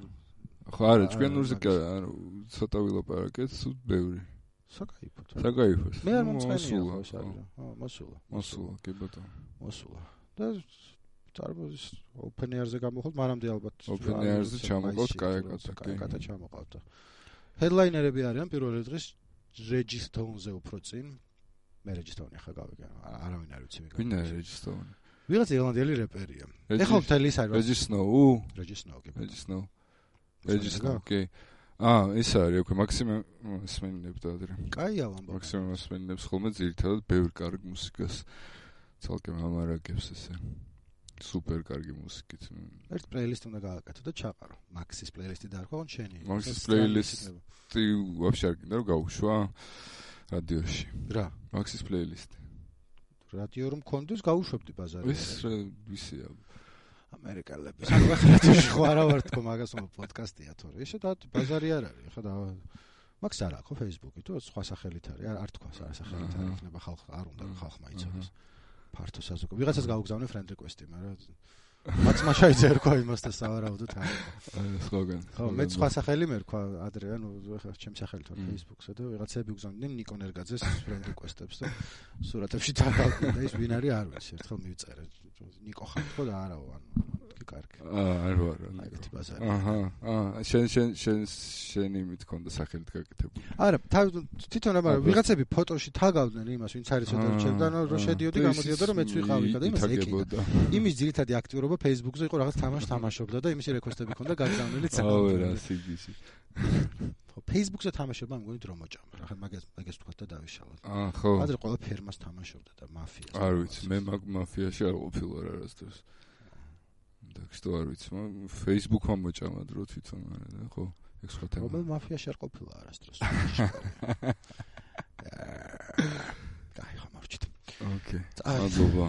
ხო, არა, ჩვენ ნურზე ანუ ცოტა ვილაპარაკეთ, სულ ბევრი.
საკაიფოდ.
საკაიფოდ.
მე არ მომწყენია ხო ეს არის. ხო, მოსულა.
მოსულა, კი ბატონო.
მოსულა. და წარმოდის open air-ზე გამოხვალ, მანამდე ალბათ
open air-ზე ჩამოყავთ კაიკატა,
კაიკატა ჩამოყავთ. headline-erები არიან პირველი დღის Registone-ზე უფრო წინ. მე Registone ახლა გავიგე. არავინ არ ვიცი.
ვინ არის Registone?
ვიღაც ირლანდიელი რეპერია. ეხლა მთელი ის არის.
Registone.
Registone, კი.
Registone. Registone, კი. აა, ეს არის, უკვე მაქსიმე მსმენელებს და ადრე.
კაია ვამბობ.
მაქსიმე მსმენელებს ხოლმე ძირითადად ბევრ კარგ მუსიკას ცალკე ამარაგებს ესე. სუპერ კარგი მუსიკით.
ერთ პლეილისტი უნდა გააკეთო და ჩაყარო. მაქსის პლეილისტი დაარქვა, ან შენი?
მაქსის პლეილისტი ვაფშე არ გინდა რომ გავუშვა რადიოში.
რა?
მაქსის პლეილისტი.
რადიო რომ მქონდეს გავუშვებდი ბაზარზე.
ეს ვისია.
ამერიკელები. ანუ ახლა რადიოში ხო არა ვარ თქო მაგას მო პოდკასტია თორე. ესე და ბაზარი არ არის. ახლა და მაქს არა ხო Facebook-ი თუ სხვა სახელით არის. არ თქვას არა სახელით არის. იქნება ხალხ არ უნდა ხალხმა იცოდეს. ფართო საზოგადო. ვიღაცას გავგზავნე friend request-ი, მაგრამ მაც მაშაიძე ერქვა იმასთან სავარაუდოდ არის.
სხვაგან.
ხო, მე სხვა სახელი მერქვა ადრე, ანუ ახლა ჩემი სახელი თორე Facebook-ზე და ვიღაცები გზავნდნენ ნიკონ ერგაძეს friend request-ებს და სურათებში დავდავდი და ის ვინ არის არ ვიცი. ერთხელ მივწერე. ნიკო ხარ ხო და არაო, ანუ კარგი.
აა, არ ვარ.
ეგეთი ბაზარი.
აჰა, აა, შენ შენ შენ შენ იმით ქონდა სახელით გაკეთებული.
არა, თვითონ აბა ვიღაცები ფოტოში თაგავდნენ იმას, ვინც არის ცოტა რჩევდა, რომ შედიოდი, გამოდიოდა, რომ მეც ვიყავი და იმას ეკიდა. იმის ძირითადი აქტიურობა Facebook-ზე იყო, რაღაც თამაშ თამაშობდა და იმისი რეკვესტები ქონდა გაგზავნილი
ძალიან. აუ, რა სიგიში.
Facebook-ზე თამაშობა მგონი დრო მოჭამა. რა მაგას მაგას თქვა და დავიშალოთ.
აა, ხო.
ადრე ყველა ფერმას თამაშობდა და მაფიას.
არ ვიცი, მე მაგ მაფიაში არ ყოფილვარ არასდროს. და ხო არ ვიცი, Facebook-მა მოჭამა დრო თვითონ არა და ხო, ეგ სხვა თემა.
რომელ მაფიაში არ ყოფილა არასდროს. კაი, ხამარჩით.
ოკეი. მადლობა.